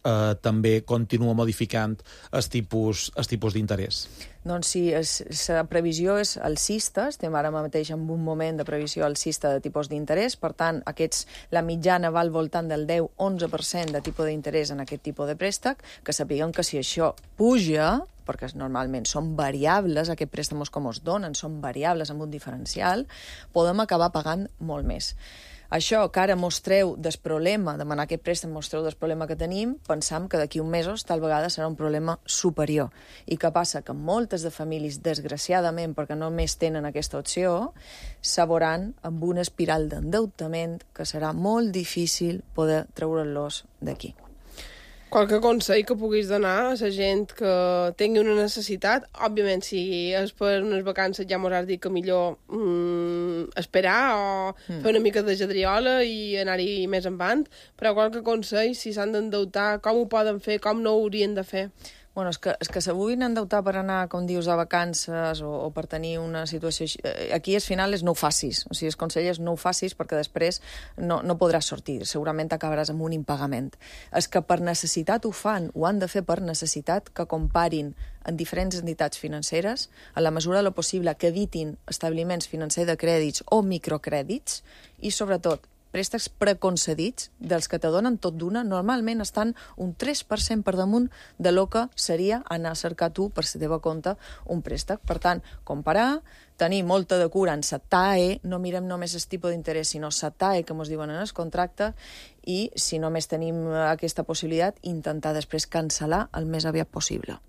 també continua modificant els tipus d'interès? Doncs sí, la previsió és alcista, estem ara mateix en un moment de previsió alcista de tipus d'interès, per tant, la mitjana va al voltant del 10-11% de tipus d'interès en aquest tipus de préstec, que sapiguem que si això puja, perquè normalment són variables, aquests préstamos com es donen, són variables amb un diferencial, podem acabar pagant molt més. Això que ara mostreu del problema, demanar aquest préstec mostreu del problema que tenim, pensam que d'aquí un mesos tal vegada serà un problema superior. I què passa? Que moltes de famílies, desgraciadament, perquè només tenen aquesta opció, s'aboran amb una espiral d'endeutament que serà molt difícil poder treure-los d'aquí. Qualque consell que puguis donar a la gent que tingui una necessitat? Òbviament, si és per unes vacances ja mos has dit que millor esperar o fer una mica de jadriola i anar-hi més endavant, però qualque consell, si s'han d'endeutar, com ho poden fer, com no ho haurien de fer? Bueno, és que se vulguin endeutar per anar, com dius, a vacances o per tenir una situació així... Aquí, al final, és no ho facis. O sigui, el consell és no ho facis perquè després no podràs sortir. Segurament acabaràs amb un impagament. És que per necessitat ho fan, ho han de fer per necessitat, que comparin en diferents entitats financeres, a la mesura de lo possible que evitin establiments financers de crèdits o microcrèdits i, sobretot, préstecs preconcedits, dels que te donen tot d'una, normalment estan un 3% per damunt de lo que seria anar a cercar tu per la teva compte un préstec. Per tant, comparar, tenir molta de cura en la TAE, no mirem només el tipus d'interès, sinó la TAE, que ens diuen en el contracte, i si només tenim aquesta possibilitat, intentar després cancel·lar el més aviat possible.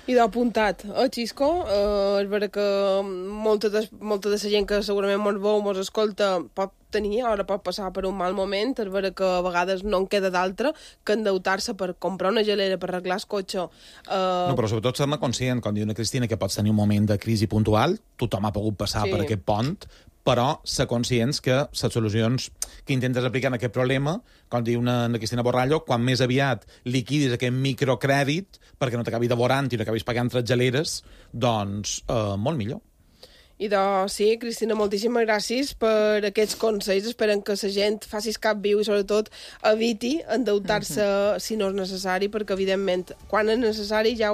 I d'apuntat, Xisco, és vera que molta de la gent que segurament mos veu, mos escolta, pot tenir, ara pot passar per un mal moment, és vera que a vegades no en queda d'altra que endeutar-se per comprar una gelera, per arreglar el cotxe. No, però sobretot ser-ne conscient, com diu una Cristina, que pots tenir un moment de crisi puntual, tothom ha pogut passar per aquest pont, però ser conscients que les solucions que intentes aplicar en aquest problema, com diu una Cristina Borrallo, quan més aviat liquidis aquest microcrèdit perquè no t'acabi devorant i no acabis pagant 3 geleres, doncs molt millor. I doncs sí, Cristina, moltíssimes gràcies per aquests consells. Esperem que la gent faci cap viu i sobretot eviti endeutar-se si no és necessari, perquè evidentment quan és necessari ja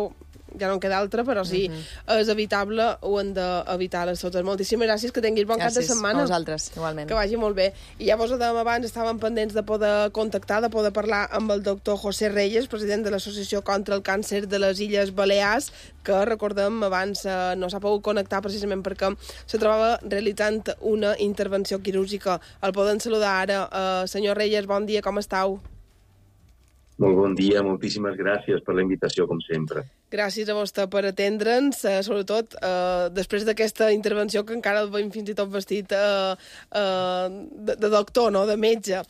no en queda altra, però si és evitable ho hem d'evitar les totes. Moltíssimes gràcies, que tinguis bon cap de setmana. Gràcies a vosaltres, igualment. Que vagi molt bé. I ja vos ho dèiem abans, estàvem pendents de poder contactar, de poder parlar amb el doctor José Reyes, president de l'Associació contra el Càncer de les Illes Balears, que, recordem, abans no s'ha pogut connectar precisament perquè se trobava realitzant una intervenció quirúrgica. El podem saludar ara. Senyor Reyes, bon dia, com estàu? Molt bon dia, moltíssimes gràcies per la invitació, com sempre. Gràcies a vostè per atendre'ns, sobretot després d'aquesta intervenció que encara el veiem fins i tot vestit de doctor, no?, de metge.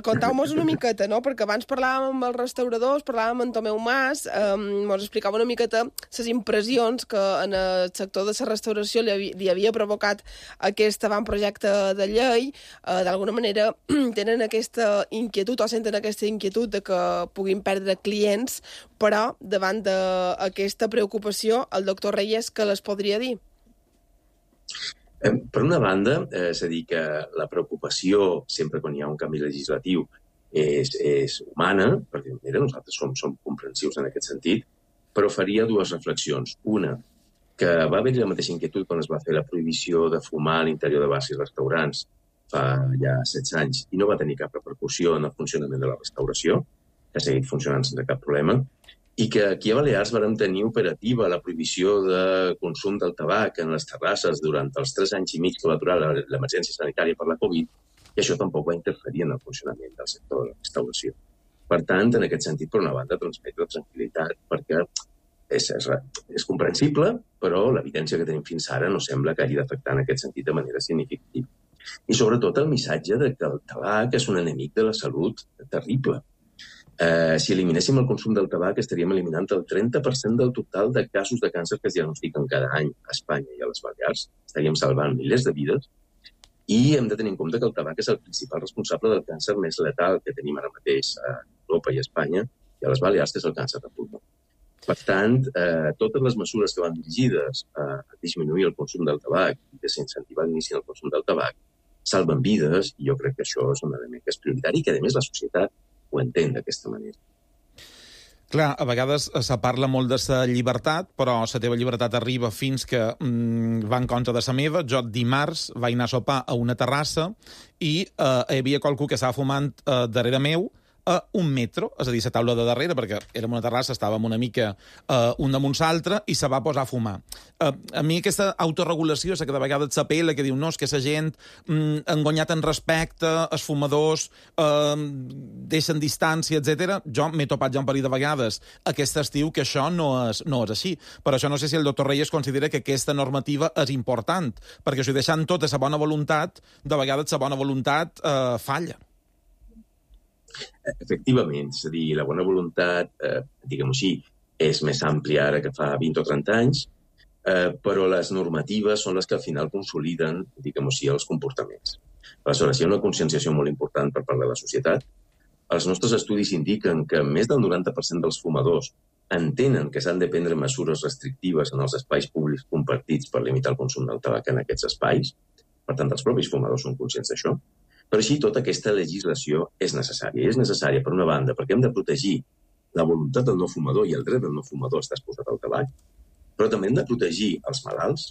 Contau-nos una miqueta, no?, perquè abans parlàvem amb els restauradors, parlàvem amb Tomeu Mas, mos explicava una miqueta les impressions que en el sector de la restauració li havia provocat aquest avantprojecte de llei. D'alguna manera tenen aquesta inquietud o senten aquesta inquietud de que puguin perdre clients, però davant d'aquesta preocupació, el doctor Reyes, què les podria dir? Per una banda, és a dir, que la preocupació, sempre quan hi ha un canvi legislatiu, és humana, perquè mira, nosaltres som comprensius en aquest sentit, però faria dues reflexions. Una, que va haver la mateixa inquietud quan es va fer la prohibició de fumar a l'interior de bars i restaurants fa ja 16 anys i no va tenir cap repercussió en el funcionament de la restauració, que ha seguit funcionant sense cap problema, i que aquí a Balears vam tenir operativa la prohibició de consum del tabac en les terrasses durant els 3 anys i mig que va durar l'emergència sanitària per la Covid, i això tampoc va interferir en el funcionament del sector de la restauració. Per tant, en aquest sentit, per una banda, transmetre tranquil·litat, perquè és comprensible, però l'evidència que tenim fins ara no sembla que hagi d'afectar en aquest sentit de manera significativa. I sobretot el missatge de que el tabac és un enemic de la salut terrible. Si eliminéssim el consum del tabac, estaríem eliminant el 30% del total de casos de càncer que es diagnostiquen cada any a Espanya i a les Balears. Estaríem salvant milers de vides i hem de tenir en compte que el tabac és el principal responsable del càncer més letal que tenim ara mateix a Europa i a Espanya i a les Balears, que és el càncer de pulmó. Per tant, totes les mesures que van dirigides a disminuir el consum del tabac i desincentivar l'inici del consum del tabac salven vides i jo crec que això és un element que és prioritari i que, a més, la societat ho entén d'aquesta manera. Clar, a vegades se parla molt de la llibertat, però la teva llibertat arriba fins que va en contra de la meva. Jo dimarts vaig anar a sopar a una terrassa i hi havia qualcú que estava fumant darrere meu a 1 metro, és a dir, la taula de darrere, perquè érem una terrassa, estàvem una mica un damunt l'altre, i se va posar a fumar. A mi aquesta autorregulació, que de vegades s'apela, que diu, no, és que la gent engonyat en respecte, els fumadors deixen distància, etc. Jo m'he topat ja un parell de vegades aquest estiu que això no és així. Per això no sé si el doctor Reyes considera que aquesta normativa és important, perquè si deixant tota la bona voluntat, de vegades la bona voluntat falla. Efectivament, és a dir, la bona voluntat, diguem-ho així, és més àmplia ara que fa 20 o 30 anys, però les normatives són les que al final consoliden, diguem-ho així, els comportaments. Aleshores, hi ha una conscienciació molt important per part de la societat. Els nostres estudis indiquen que més del 90% dels fumadors entenen que s'han de prendre mesures restrictives en els espais públics compartits per limitar el consum del tabac en aquests espais. Per tant, els propis fumadors són conscients d'això. Però així, tota aquesta legislació és necessària. És necessària, per una banda, perquè hem de protegir la voluntat del no fumador i el dret del no fumador a estar exposat al tabac, però també hem de protegir els malalts,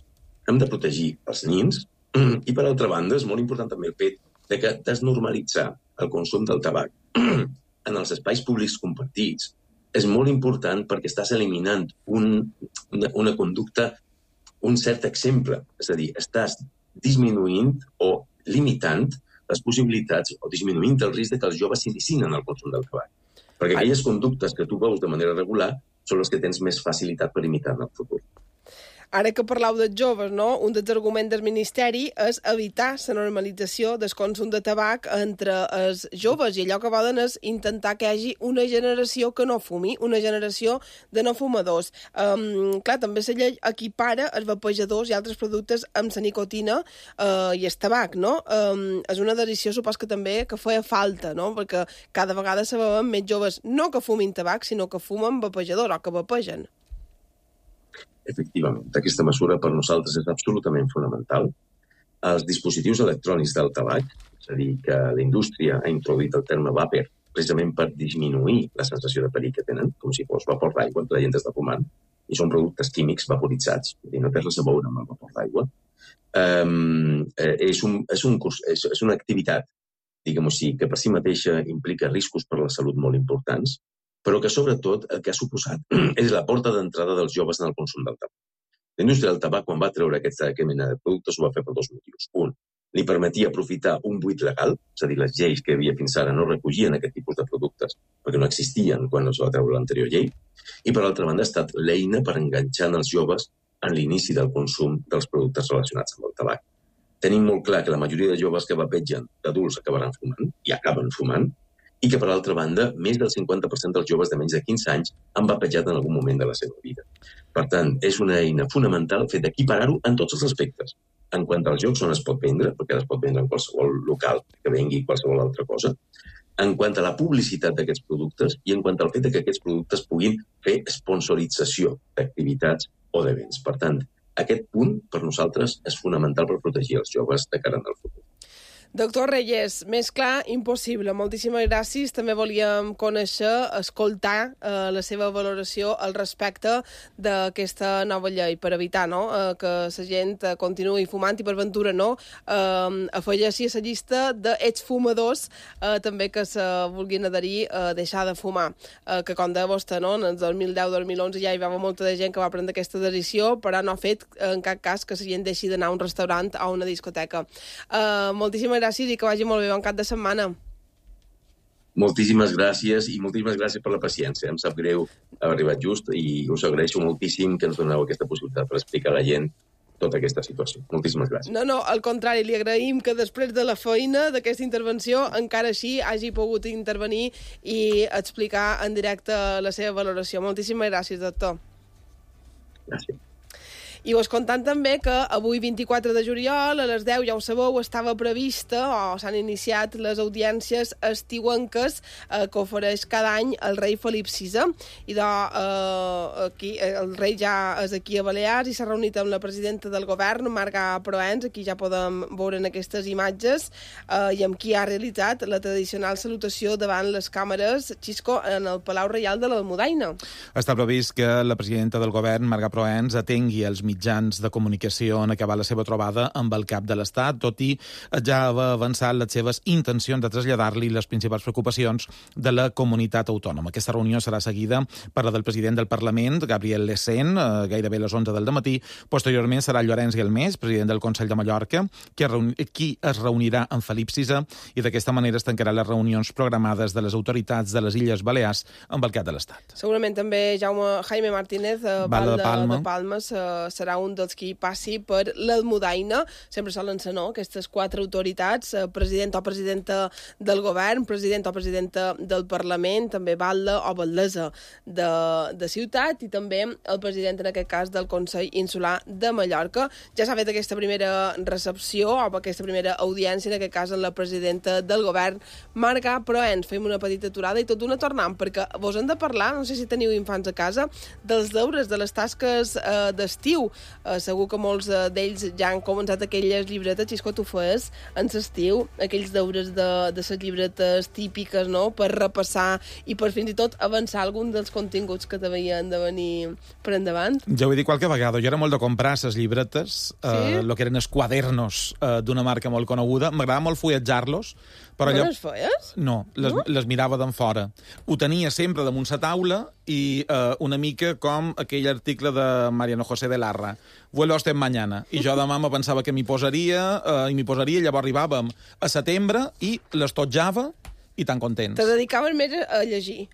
hem de protegir els nins, i per altra banda, és molt important també el fet de que desnormalitzar el consum del tabac en els espais públics compartits és molt important perquè estàs eliminant una conducta, un cert exemple. És a dir, estàs disminuint o limitant les possibilitats o disminuint el risc que els joves s'iniciïn en el consum del tabac. Perquè aquelles conductes que tu veus de manera regular són les que tens més facilitat per imitar en el futur. Ara que parlau dels joves, no? Un dels arguments del Ministeri és evitar la normalització del consum de tabac entre els joves, i allò que volen és intentar que hi hagi una generació que no fumi, una generació de no fumadors. Clar, també la llei equipara els vapejadors i altres productes amb la nicotina i el tabac, no? És una decisió, supos que també que feia falta, no? Perquè cada vegada se veuen més joves no que fumin tabac, sinó que fumen vapejadors o que vapegen. Efectivament, aquesta mesura per nosaltres és absolutament fonamental. Els dispositius electrònics del tabac, és a dir, que la indústria ha introduït el terme vapor precisament per disminuir la sensació de perill que tenen, com si fos vapor d'aigua que la gent està fumant, i són productes químics vaporitzats, i no té res a veure amb el vapor d'aigua. És una activitat, diguem-ho així, que per si mateixa implica riscos per la salut molt importants, però que sobretot el que ha suposat és la porta d'entrada dels joves en el consum del tabac. La indústria del tabac, quan va treure aquesta mena de productes, ho va fer per dos motius. Un, li permetia aprofitar un buit legal, és a dir, les lleis que havia fins ara no recollien aquest tipus de productes perquè no existien quan es va treure l'anterior llei, i per altra banda ha estat l'eina per enganxar els joves en l'inici del consum dels productes relacionats amb el tabac. Tenim molt clar que la majoria de joves que vapegen d'adults acabaran fumant, i acaben fumant, i que, per altra banda, més del 50% dels joves de menys de 15 anys han vapejat en algun moment de la seva vida. Per tant, és una eina fonamental fet d'equiparar-ho en tots els aspectes. En quant als jocs on es pot vendre, perquè es pot vendre en qualsevol local que vengui qualsevol altra cosa, en quant a la publicitat d'aquests productes i en quant al fet que aquests productes puguin fer sponsorització d'activitats o d'events. Per tant, aquest punt, per nosaltres, és fonamental per protegir els joves de cara al futur. Doctor Reyes, més clar, impossible. Moltíssimes gràcies. També volíem conèixer, escoltar la seva valoració al respecte d'aquesta nova llei per evitar que la gent continuï fumant i per ventura afegeixi a la llista d'exfumadors també que se vulguin adherir a deixar de fumar. Que com deia vostè, en el 2010-2011 ja hi va haver molta de gent que va prendre aquesta decisió, però no ha fet en cap cas que la gent deixi d'anar a un restaurant o a una discoteca. Moltíssimes gràcies i que vagi molt bé, bon cap de setmana. Moltíssimes gràcies i moltíssimes gràcies per la paciència. Em sap greu haver arribat just i us agraeixo moltíssim que ens doneu aquesta possibilitat per explicar a la gent tota aquesta situació. Moltíssimes gràcies. No, al contrari, li agraïm que després de la feina d'aquesta intervenció encara així hagi pogut intervenir i explicar en directe la seva valoració. Moltíssimes gràcies, doctor. Gràcies. I us contant també que avui, 24 de juliol, a les 10, ja ho sabeu, estava prevista, o s'han iniciat les audiències estiuenques que ofereix cada any el rei Felip VI. I aquí, el rei ja és aquí a Balears i s'ha reunit amb la presidenta del govern, Marga Proens, aquí ja podem veure en aquestes imatges, i amb qui ha realitzat la tradicional salutació davant les càmeres, Xisco, en el Palau Reial de l'Almudaina. Està previst que la presidenta del govern, Marga Proens, atengui els mitjans de comunicació en acabar la seva trobada amb el cap de l'Estat, tot i ja haver avançat les seves intencions de traslladar-li les principals preocupacions de la comunitat autònoma. Aquesta reunió serà seguida per la del president del Parlament, Gabriel Lecén, gairebé a les 11 del matí. Posteriorment serà Llorenç Guelmés, president del Consell de Mallorca, qui es reunirà amb Felip VI i d'aquesta manera es tancarà les reunions programades de les autoritats de les Illes Balears amb el cap de l'Estat. Segurament també Jaime Martínez, Val de Palma, serà un dels qui passi per l'Almudaina. Sempre solen ser, no?, aquestes 4 autoritats, president o presidenta del govern, president o presidenta del Parlament, també batlle o batllessa de ciutat i també el president, en aquest cas, del Consell Insular de Mallorca. Ja s'ha fet aquesta primera recepció o aquesta primera audiència, en aquest cas, amb la presidenta del govern, Marga Proens. Fem una petita aturada i tot d'una tornant, perquè vos hem de parlar, no sé si teniu infants a casa, dels deures, de les tasques d'estiu. Segur que molts d'ells ja han començat aquelles llibretes, Xisco, tu fes en l'estiu, aquells deures de les llibretes típiques, no?, per repassar i per fins i tot avançar algun dels continguts que t'havien de venir per endavant. Ja ho he dit qualque vegada, jo era molt de comprar les llibretes, el que eren els quadernos d'una marca molt coneguda. M'agradava molt fulletjar-los, però no les feies? No, les mirava d'en fora. Ho tenia sempre damunt la taula i una mica com aquell article de Mariano José de Larra. Vuelo hasta mañana. I jo demà me pensava que m'hi posaria, llavors arribàvem a setembre i les totjava i tan contents. Te dedicaven més a llegir.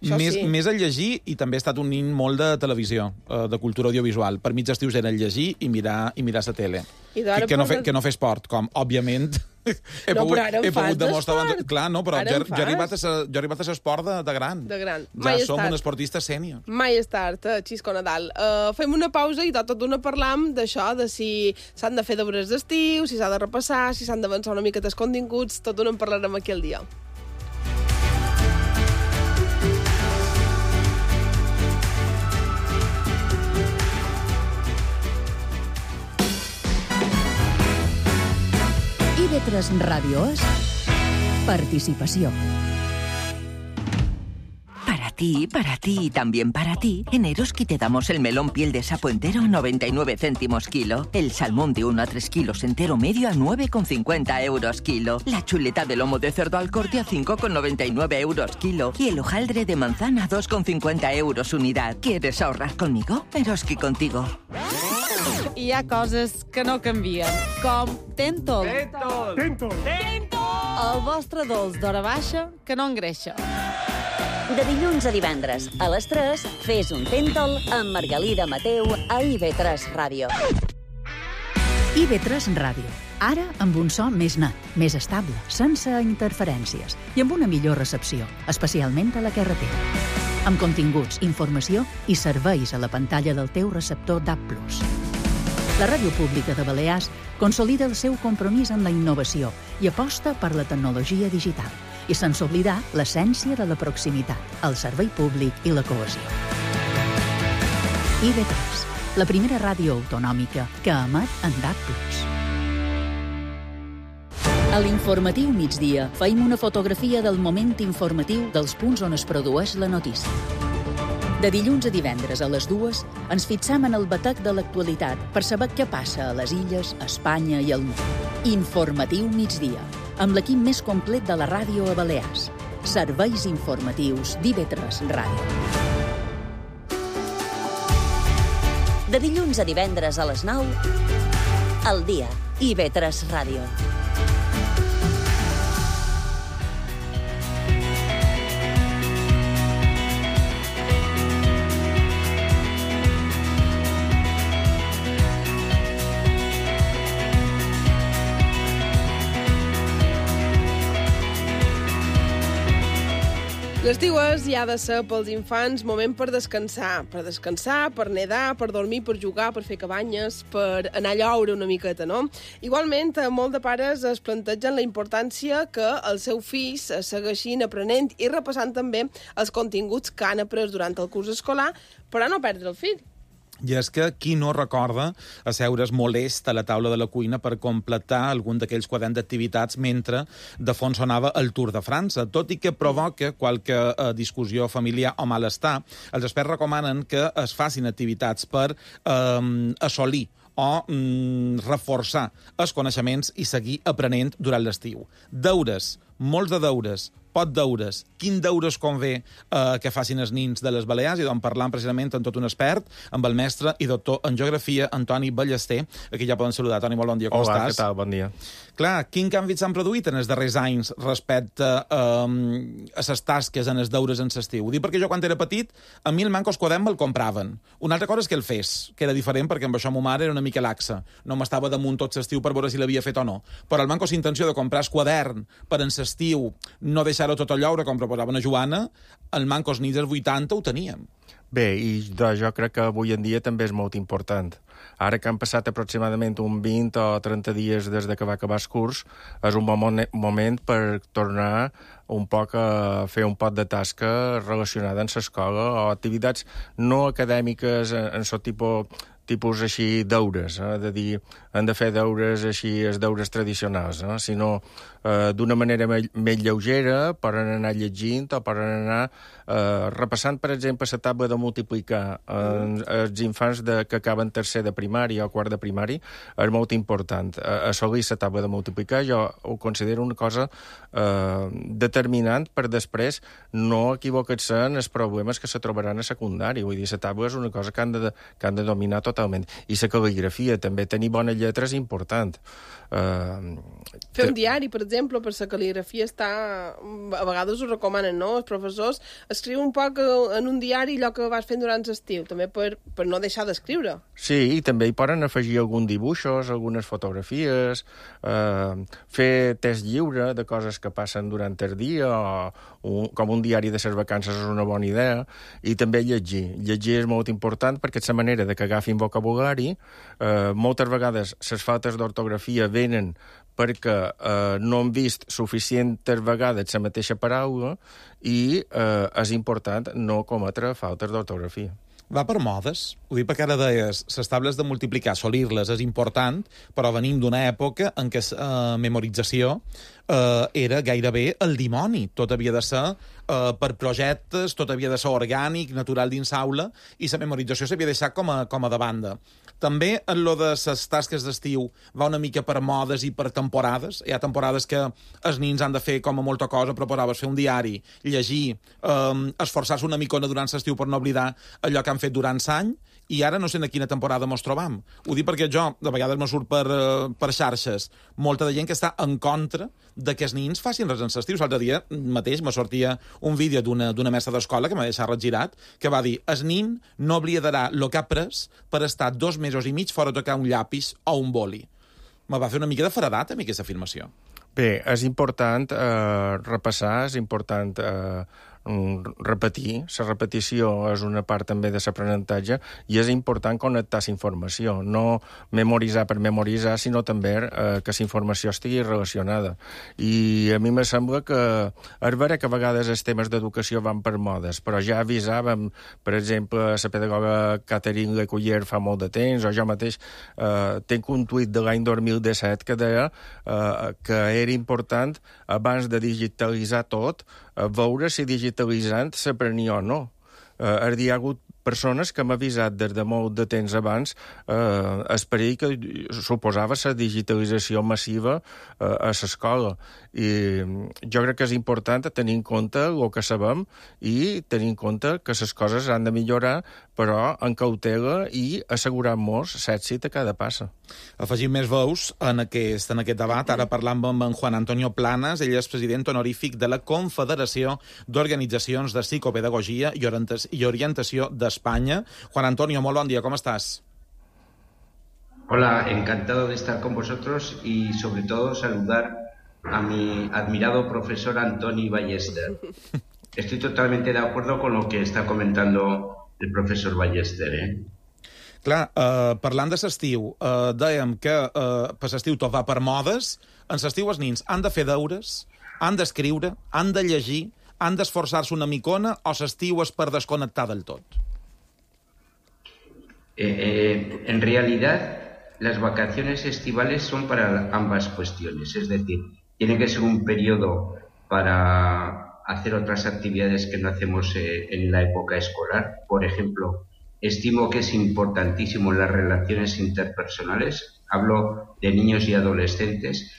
Més a llegir, i també he estat un nin molt de televisió, de cultura audiovisual. Per mi els estius era llegir i mirar la tele. Que no fer esport, com, òbviament, he pogut demostrar... Clar, no, però jo he arribat a l'esport de gran. De gran. Ja som un esportista sènior. Mai és tard, Xisco Nadal. Fem una pausa i tot d'una parlam d'això, de si s'han de fer deures d'estiu, si s'ha de repassar, si s'han d'avançar una mica dels continguts, tot d'una en parlarem aquí al dia. IB3 Radio es participació. Para ti y también para ti, en Eroski te damos el melón piel de sapo entero a 99 céntimos kilo, el salmón de 1 a 3 kilos entero medio a 9,50 euros kilo, la chuleta de lomo de cerdo al corte a 5,99 euros kilo y el hojaldre de manzana a 2,50 euros unidad. ¿Quieres ahorrar conmigo? Eroski contigo. Hi ha coses que no canvien, com Tentol. Tentol. El vostre dolç d'hora baixa que no engreixa. De dilluns a divendres, a les 3, fes un Tentol amb Margalida Mateu a IB3 Ràdio. IB3 Ràdio. Ara amb un so més net, més estable, sense interferències i amb una millor recepció, especialment a la carretera. Amb continguts, informació i serveis a la pantalla del teu receptor DAB+. La Ràdio Pública de Balears consolida el seu compromís amb la innovació i aposta per la tecnologia digital, i sense oblidar l'essència de la proximitat, el servei públic i la cohesió. IB3, la primera ràdio autonòmica que emet en DAB+. A l'informatiu migdia feim una fotografia del moment informatiu dels punts on es produeix la notícia. De dilluns a divendres a les 2 ens fixam en el batec de l'actualitat per saber què passa a les illes, a Espanya i al món. Informatiu migdia, amb l'equip més complet de la ràdio a Balears. Serveis informatius d'IB3 Ràdio. De dilluns a divendres a les 9, al dia, IB3 Ràdio. L'estiu és i ha de ser pels infants moment per descansar, per nedar, per dormir, per jugar, per fer cabanyes, per anar a lloure una miqueta, no? Igualment, molt de pares es plantegen la importància que els seus fills segueixin aprenent i repassant també els continguts que han après durant el curs escolar, però no perdre el fil. I és que qui no recorda asseure's molest a la taula de la cuina per completar algun d'aquells quaderns d'activitats mentre de fons sonava el Tour de França. Tot i que provoca qualque discussió familiar o malestar, els experts recomanen que es facin activitats per assolir o reforçar els coneixements i seguir aprenent durant l'estiu. Deures, molts de deures, pot deures, quin deures convé que facin els nins de les Balears, i d'on parlant precisament amb tot un expert, amb el mestre i doctor en geografia, Antoni Ballester. Aquí ja poden saludar. Toni, molt bon dia, com estàs? Hola, què tal? Bon dia. Clar, quin canvi s'han produït en els darrers anys respecte a les tasques en els deures en l'estiu? Ho dic perquè jo, quan era petit, a mi el manco quadern me'l compraven. Una altra cosa és que el fes, que era diferent, perquè amb això ma mare era una mica laxa. No m'estava damunt tot l'estiu per veure si l'havia fet o no. Però el manco intenció de comprar el quadern per en l'estiu, no deixar-ho tot a lloure, com proposava una Joana, el manco als nits dels 80 ho teníem. Bé, i jo crec que avui en dia també és molt important. Ara que han passat aproximadament un 20 o 30 dies des que va acabar el curs, és un bon moment per tornar un poc a fer un pot de tasca relacionada amb l'escola o activitats no acadèmiques en aquest tipus així deures, de dir, han de fer deures així, els deures tradicionals, sinó d'una manera més lleugera, poden anar llegint o poden anar repassant, per exemple, la taula de multiplicar. Els infants que acaben tercer de primària o quart de primari és molt important. Assolir la taula de multiplicar jo ho considero una cosa determinant per després no equivocar-se en els problemes que se trobaran a secundari. Vull dir, la taula és una cosa que han de dominar totalment. I la cal·ligrafia, també tenir bones lletres és important. Fer un diari, per exemple, per la cal·ligrafia està... A vegades ho recomanen, no? Els professors escriu un poc en un diari allò que vas fent durant l'estiu, també per no deixar d'escriure. Sí, i també hi poden afegir alguns dibuixos, algunes fotografies, fer test lliure de coses que passen durant el dia, o com un diari de les vacances és una bona idea, i també llegir. Llegir és molt important perquè és la manera de que agafin vocabulari. Moltes vegades les faltes d'ortografia venen perquè no han vist suficientes vegades la mateixa paraula i és important no cometre faltes d'ortografia. Va per modes. Ho dic perquè ara deies, les tables de multiplicar, assolir-les és important, però venim d'una època en què memorització era gairebé el dimoni. Tot havia de ser per projectes, tot havia de ser orgànic, natural dins aula, i la memorització s'havia deixat com a de banda. També en lo de les tasques d'estiu va una mica per modes i per temporades. Hi ha temporades que els nins han de fer com a molta cosa, proposaves fer un diari, llegir, esforçar-se una micona durant l'estiu per no oblidar allò que han fet durant l'any, i ara no sé en quina temporada mos trobam. Ho dic perquè jo, de vegades me surt per xarxes, molta de gent que està en contra de que els nins facin res en l'estiu. L'altre dia mateix me sortia un vídeo d'una mestra d'escola que m'ha deixat regirat, que va dir, el nin no oblidarà el que ha pres per estar 2 mesos i mig fora de tocar un llapis o un boli. Me va fer una mica de feredat a mi aquesta afirmació. Bé, és important repassar, és important repetir. La repetició és una part també de l'aprenentatge i és important connectar la informació, no memoritzar per memoritzar, sinó també que la informació estigui relacionada. I a mi me sembla que és vera que a vegades els temes d'educació van per modes, però ja avisàvem, per exemple, la pedagoga Catherine Lecuyer fa molt de temps, o jo mateix tinc un tuit de l'any 2017 que deia que era important, abans de digitalitzar tot, veure si digitalitzant s'aprenia o no. Hi ha hagut persones que m'han avisat des de molt de temps abans el perill que suposava la digitalització massiva a l'escola. I jo crec que és important tenir en compte el que sabem i tenir en compte que les coses han de millorar, però amb cautela i assegurant-nos l'èxit a cada passa. Afegim més veus en aquest debat. Ara parlam amb en Juan Antonio Planas. Ell és president honorífic de la Confederació d'Organitzacions de Psicopedagogia i Orientació d'Espanya. Juan Antonio, molt bon dia, com estàs? Hola, encantado de estar con vosotros y sobre todo saludar a mi admirado profesor Antoni Ballester. Estoy totalmente de acuerdo con lo que está comentando el profesor Ballester, Clar, parlant de l'estiu, dèiem que per l'estiu tot va per modes. En l'estiu els nins han de fer deures, han d'escriure, han de llegir, han d'esforçar-se una micona, o l'estiu és per desconnectar del tot? En realidad, las vacaciones estivales son para ambas cuestiones, es decir, tiene que ser un periodo para hacer otras actividades que no hacemos en la época escolar. Por ejemplo, estimo que es importantísimo las relaciones interpersonales, hablo de niños y adolescentes.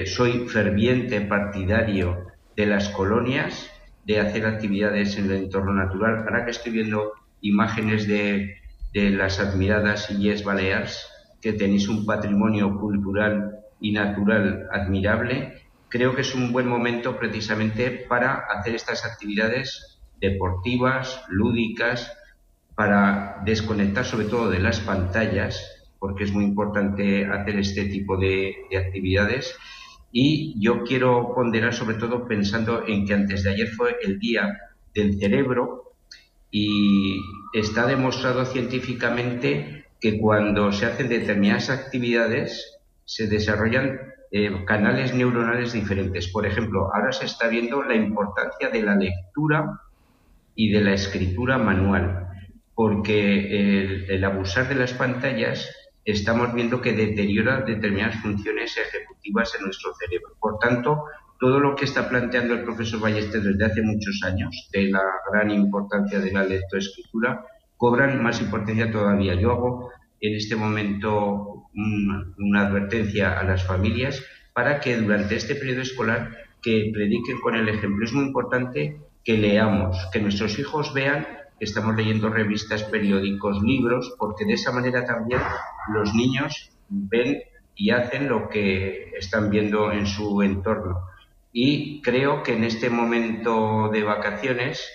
Soy ferviente partidario de las colonias, de hacer actividades en el entorno natural. Ahora que estoy viendo imágenes de las admiradas Illes Balears, que tenéis un patrimonio cultural y natural admirable, creo que es un buen momento precisamente para hacer estas actividades deportivas, lúdicas, para desconectar sobre todo de las pantallas, porque es muy importante hacer este tipo de actividades. Y yo quiero ponderar sobre todo pensando en que antes de ayer fue el Día del Cerebro y está demostrado científicamente que cuando se hacen determinadas actividades se desarrollan canales neuronales diferentes. Por ejemplo, ahora se está viendo la importancia de la lectura y de la escritura manual, porque el abusar de las pantallas estamos viendo que deteriora determinadas funciones ejecutivas en nuestro cerebro. Por tanto, todo lo que está planteando el profesor Ballester desde hace muchos años, de la gran importancia de la lectoescritura, cobran más importancia todavía. Yo hago en este momento una advertencia a las familias para que durante este periodo escolar que prediquen con el ejemplo. Es muy importante que leamos, que nuestros hijos vean que estamos leyendo revistas, periódicos, libros, porque de esa manera también los niños ven y hacen lo que están viendo en su entorno. Y creo que en este momento de vacaciones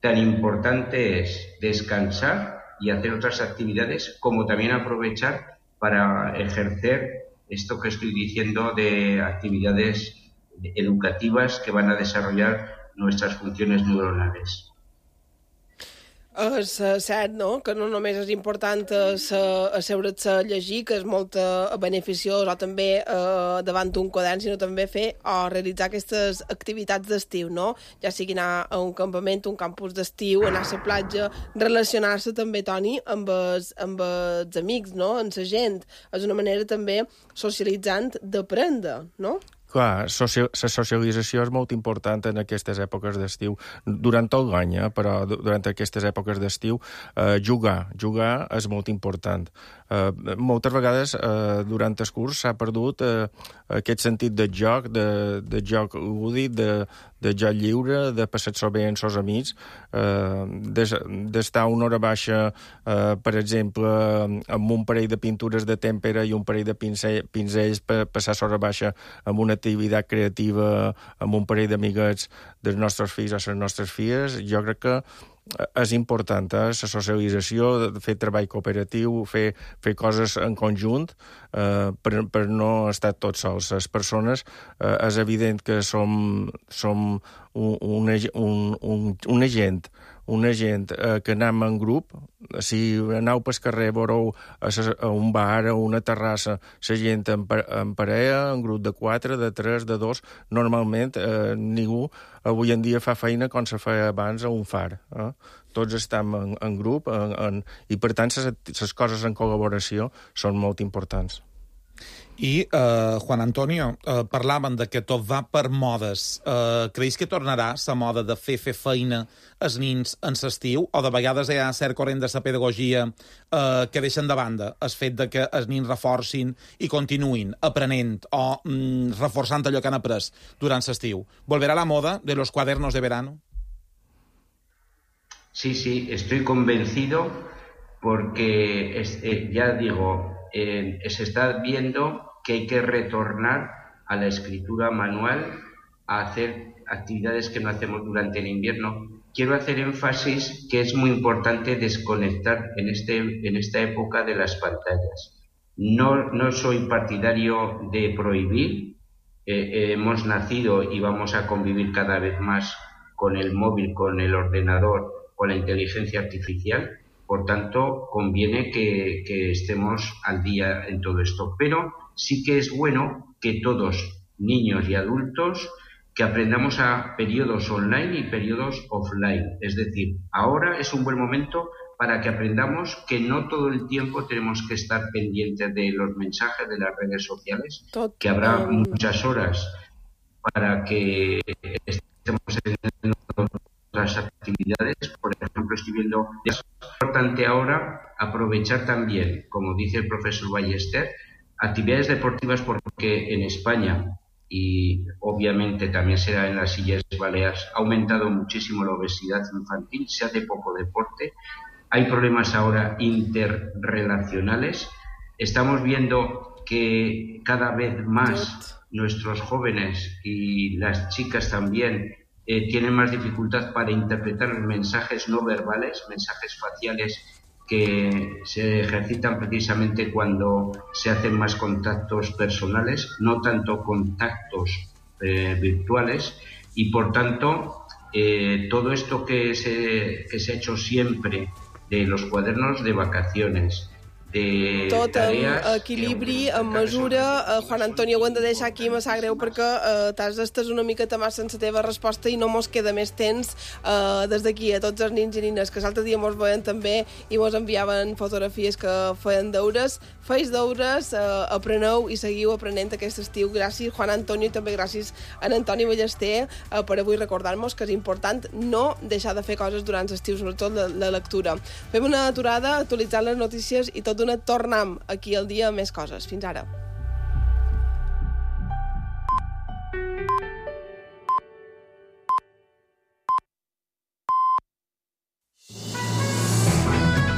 tan importante es descansar y hacer otras actividades, como también aprovechar para ejercer esto que estoy diciendo de actividades educativas que van a desarrollar nuestras funciones neuronales. És cert, no?, que no només és important asseure's a llegir, que és molt beneficiós, o també davant d'un quadern, sinó també fer o realitzar aquestes activitats d'estiu, no? Ja sigui anar a un campament, un campus d'estiu, anar a la platja, relacionar-se també, Toni, amb els amics, no?, amb la gent. És una manera també socialitzant d'aprendre, no? Clar, la socialització és molt important en aquestes èpoques d'estiu, durant tot l'any, però durant aquestes èpoques d'estiu jugar és molt important. Moltes vegades durant el curs s'ha perdut aquest sentit de joc lúdic, de joc lliure, de passar-s'ho bé amb els amics, d'estar una hora baixa, per exemple, amb un parell de pintures de tèmpera i un parell de pinzells per passar l'hora baixa amb una activitat creativa, amb un parell d'amiguets dels nostres fills o les nostres filles. Jo crec que és important, la socialització, fer treball cooperatiu, fer coses en conjunt per no estar tots sols. Les persones, és evident que som una gent que anem en grup. Si aneu pel carrer, veureu a un bar, a una terrassa, la gent en parella, en grup de 4, de 3, de 2. Normalment ningú avui en dia fa feina com se feia abans a un far. Tots estem en grup i, per tant, les coses en col·laboració són molt importants. I, Juan Antonio, parlaven de que tot va per modes. Creus que tornarà la moda de fer feina als nins en l'estiu, o de vegades hi ha cert corrent de la pedagogia que deixen de banda el fet de que els nins reforcin i continuïn aprenent o reforçant allò que han après durant l'estiu? ¿Volverá la moda de los cuadernos de verano? Sí, estoy convencido porque, ya digo, se está viendo que hay que retornar a la escritura manual, a hacer actividades que no hacemos durante el invierno. Quiero hacer énfasis que es muy importante desconectar en esta época de las pantallas. No soy partidario de prohibir. Hemos nacido y vamos a convivir cada vez más con el móvil, con el ordenador, con la inteligencia artificial. Por tanto, conviene que estemos al día en todo esto. Pero sí que es bueno que todos, niños y adultos, que aprendamos a periodos online y periodos offline. Es decir, ahora es un buen momento para que aprendamos que no todo el tiempo tenemos que estar pendientes de los mensajes de las redes sociales, que habrá muchas horas para que estemos en otras actividades. Por ejemplo, estoy viendo, es importante ahora aprovechar también, como dice el profesor Ballester, actividades deportivas, porque en España, y obviamente también será en las Illes Baleares, ha aumentado muchísimo la obesidad infantil, se hace poco deporte, hay problemas ahora interrelacionales, estamos viendo que cada vez más nuestros jóvenes y las chicas también tienen más dificultad para interpretar los mensajes no verbales, mensajes faciales que se ejercitan precisamente cuando se hacen más contactos personales, no tanto contactos virtuales, y por tanto todo esto que se ha hecho siempre de los cuadernos de vacaciones, de tot tareas... amb equilibri, amb mesura. Juan Antonio, ho hem de deixar aquí, me sap greu perquè t'has d'estès una miqueta més sense la teva resposta i no mos queda més temps. Des d'aquí a tots els nins i nines que l'altre dia mos veien també i mos enviaven fotografies que feien deures. Feis deures, apreneu i seguiu aprenent aquest estiu. Gràcies, Juan Antonio, i també gràcies a Antoni Ballester per avui recordar-nos que és important no deixar de fer coses durant l'estiu, sobretot la lectura. Fem una aturada, actualitzant les notícies i tot d'una tornem aquí al dia amb més coses. Fins ara.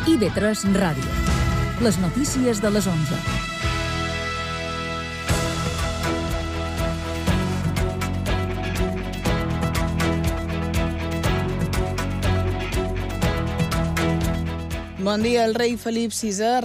IB3 Ràdio. Les notícies de les 11. Bon dia. El rei Felip VI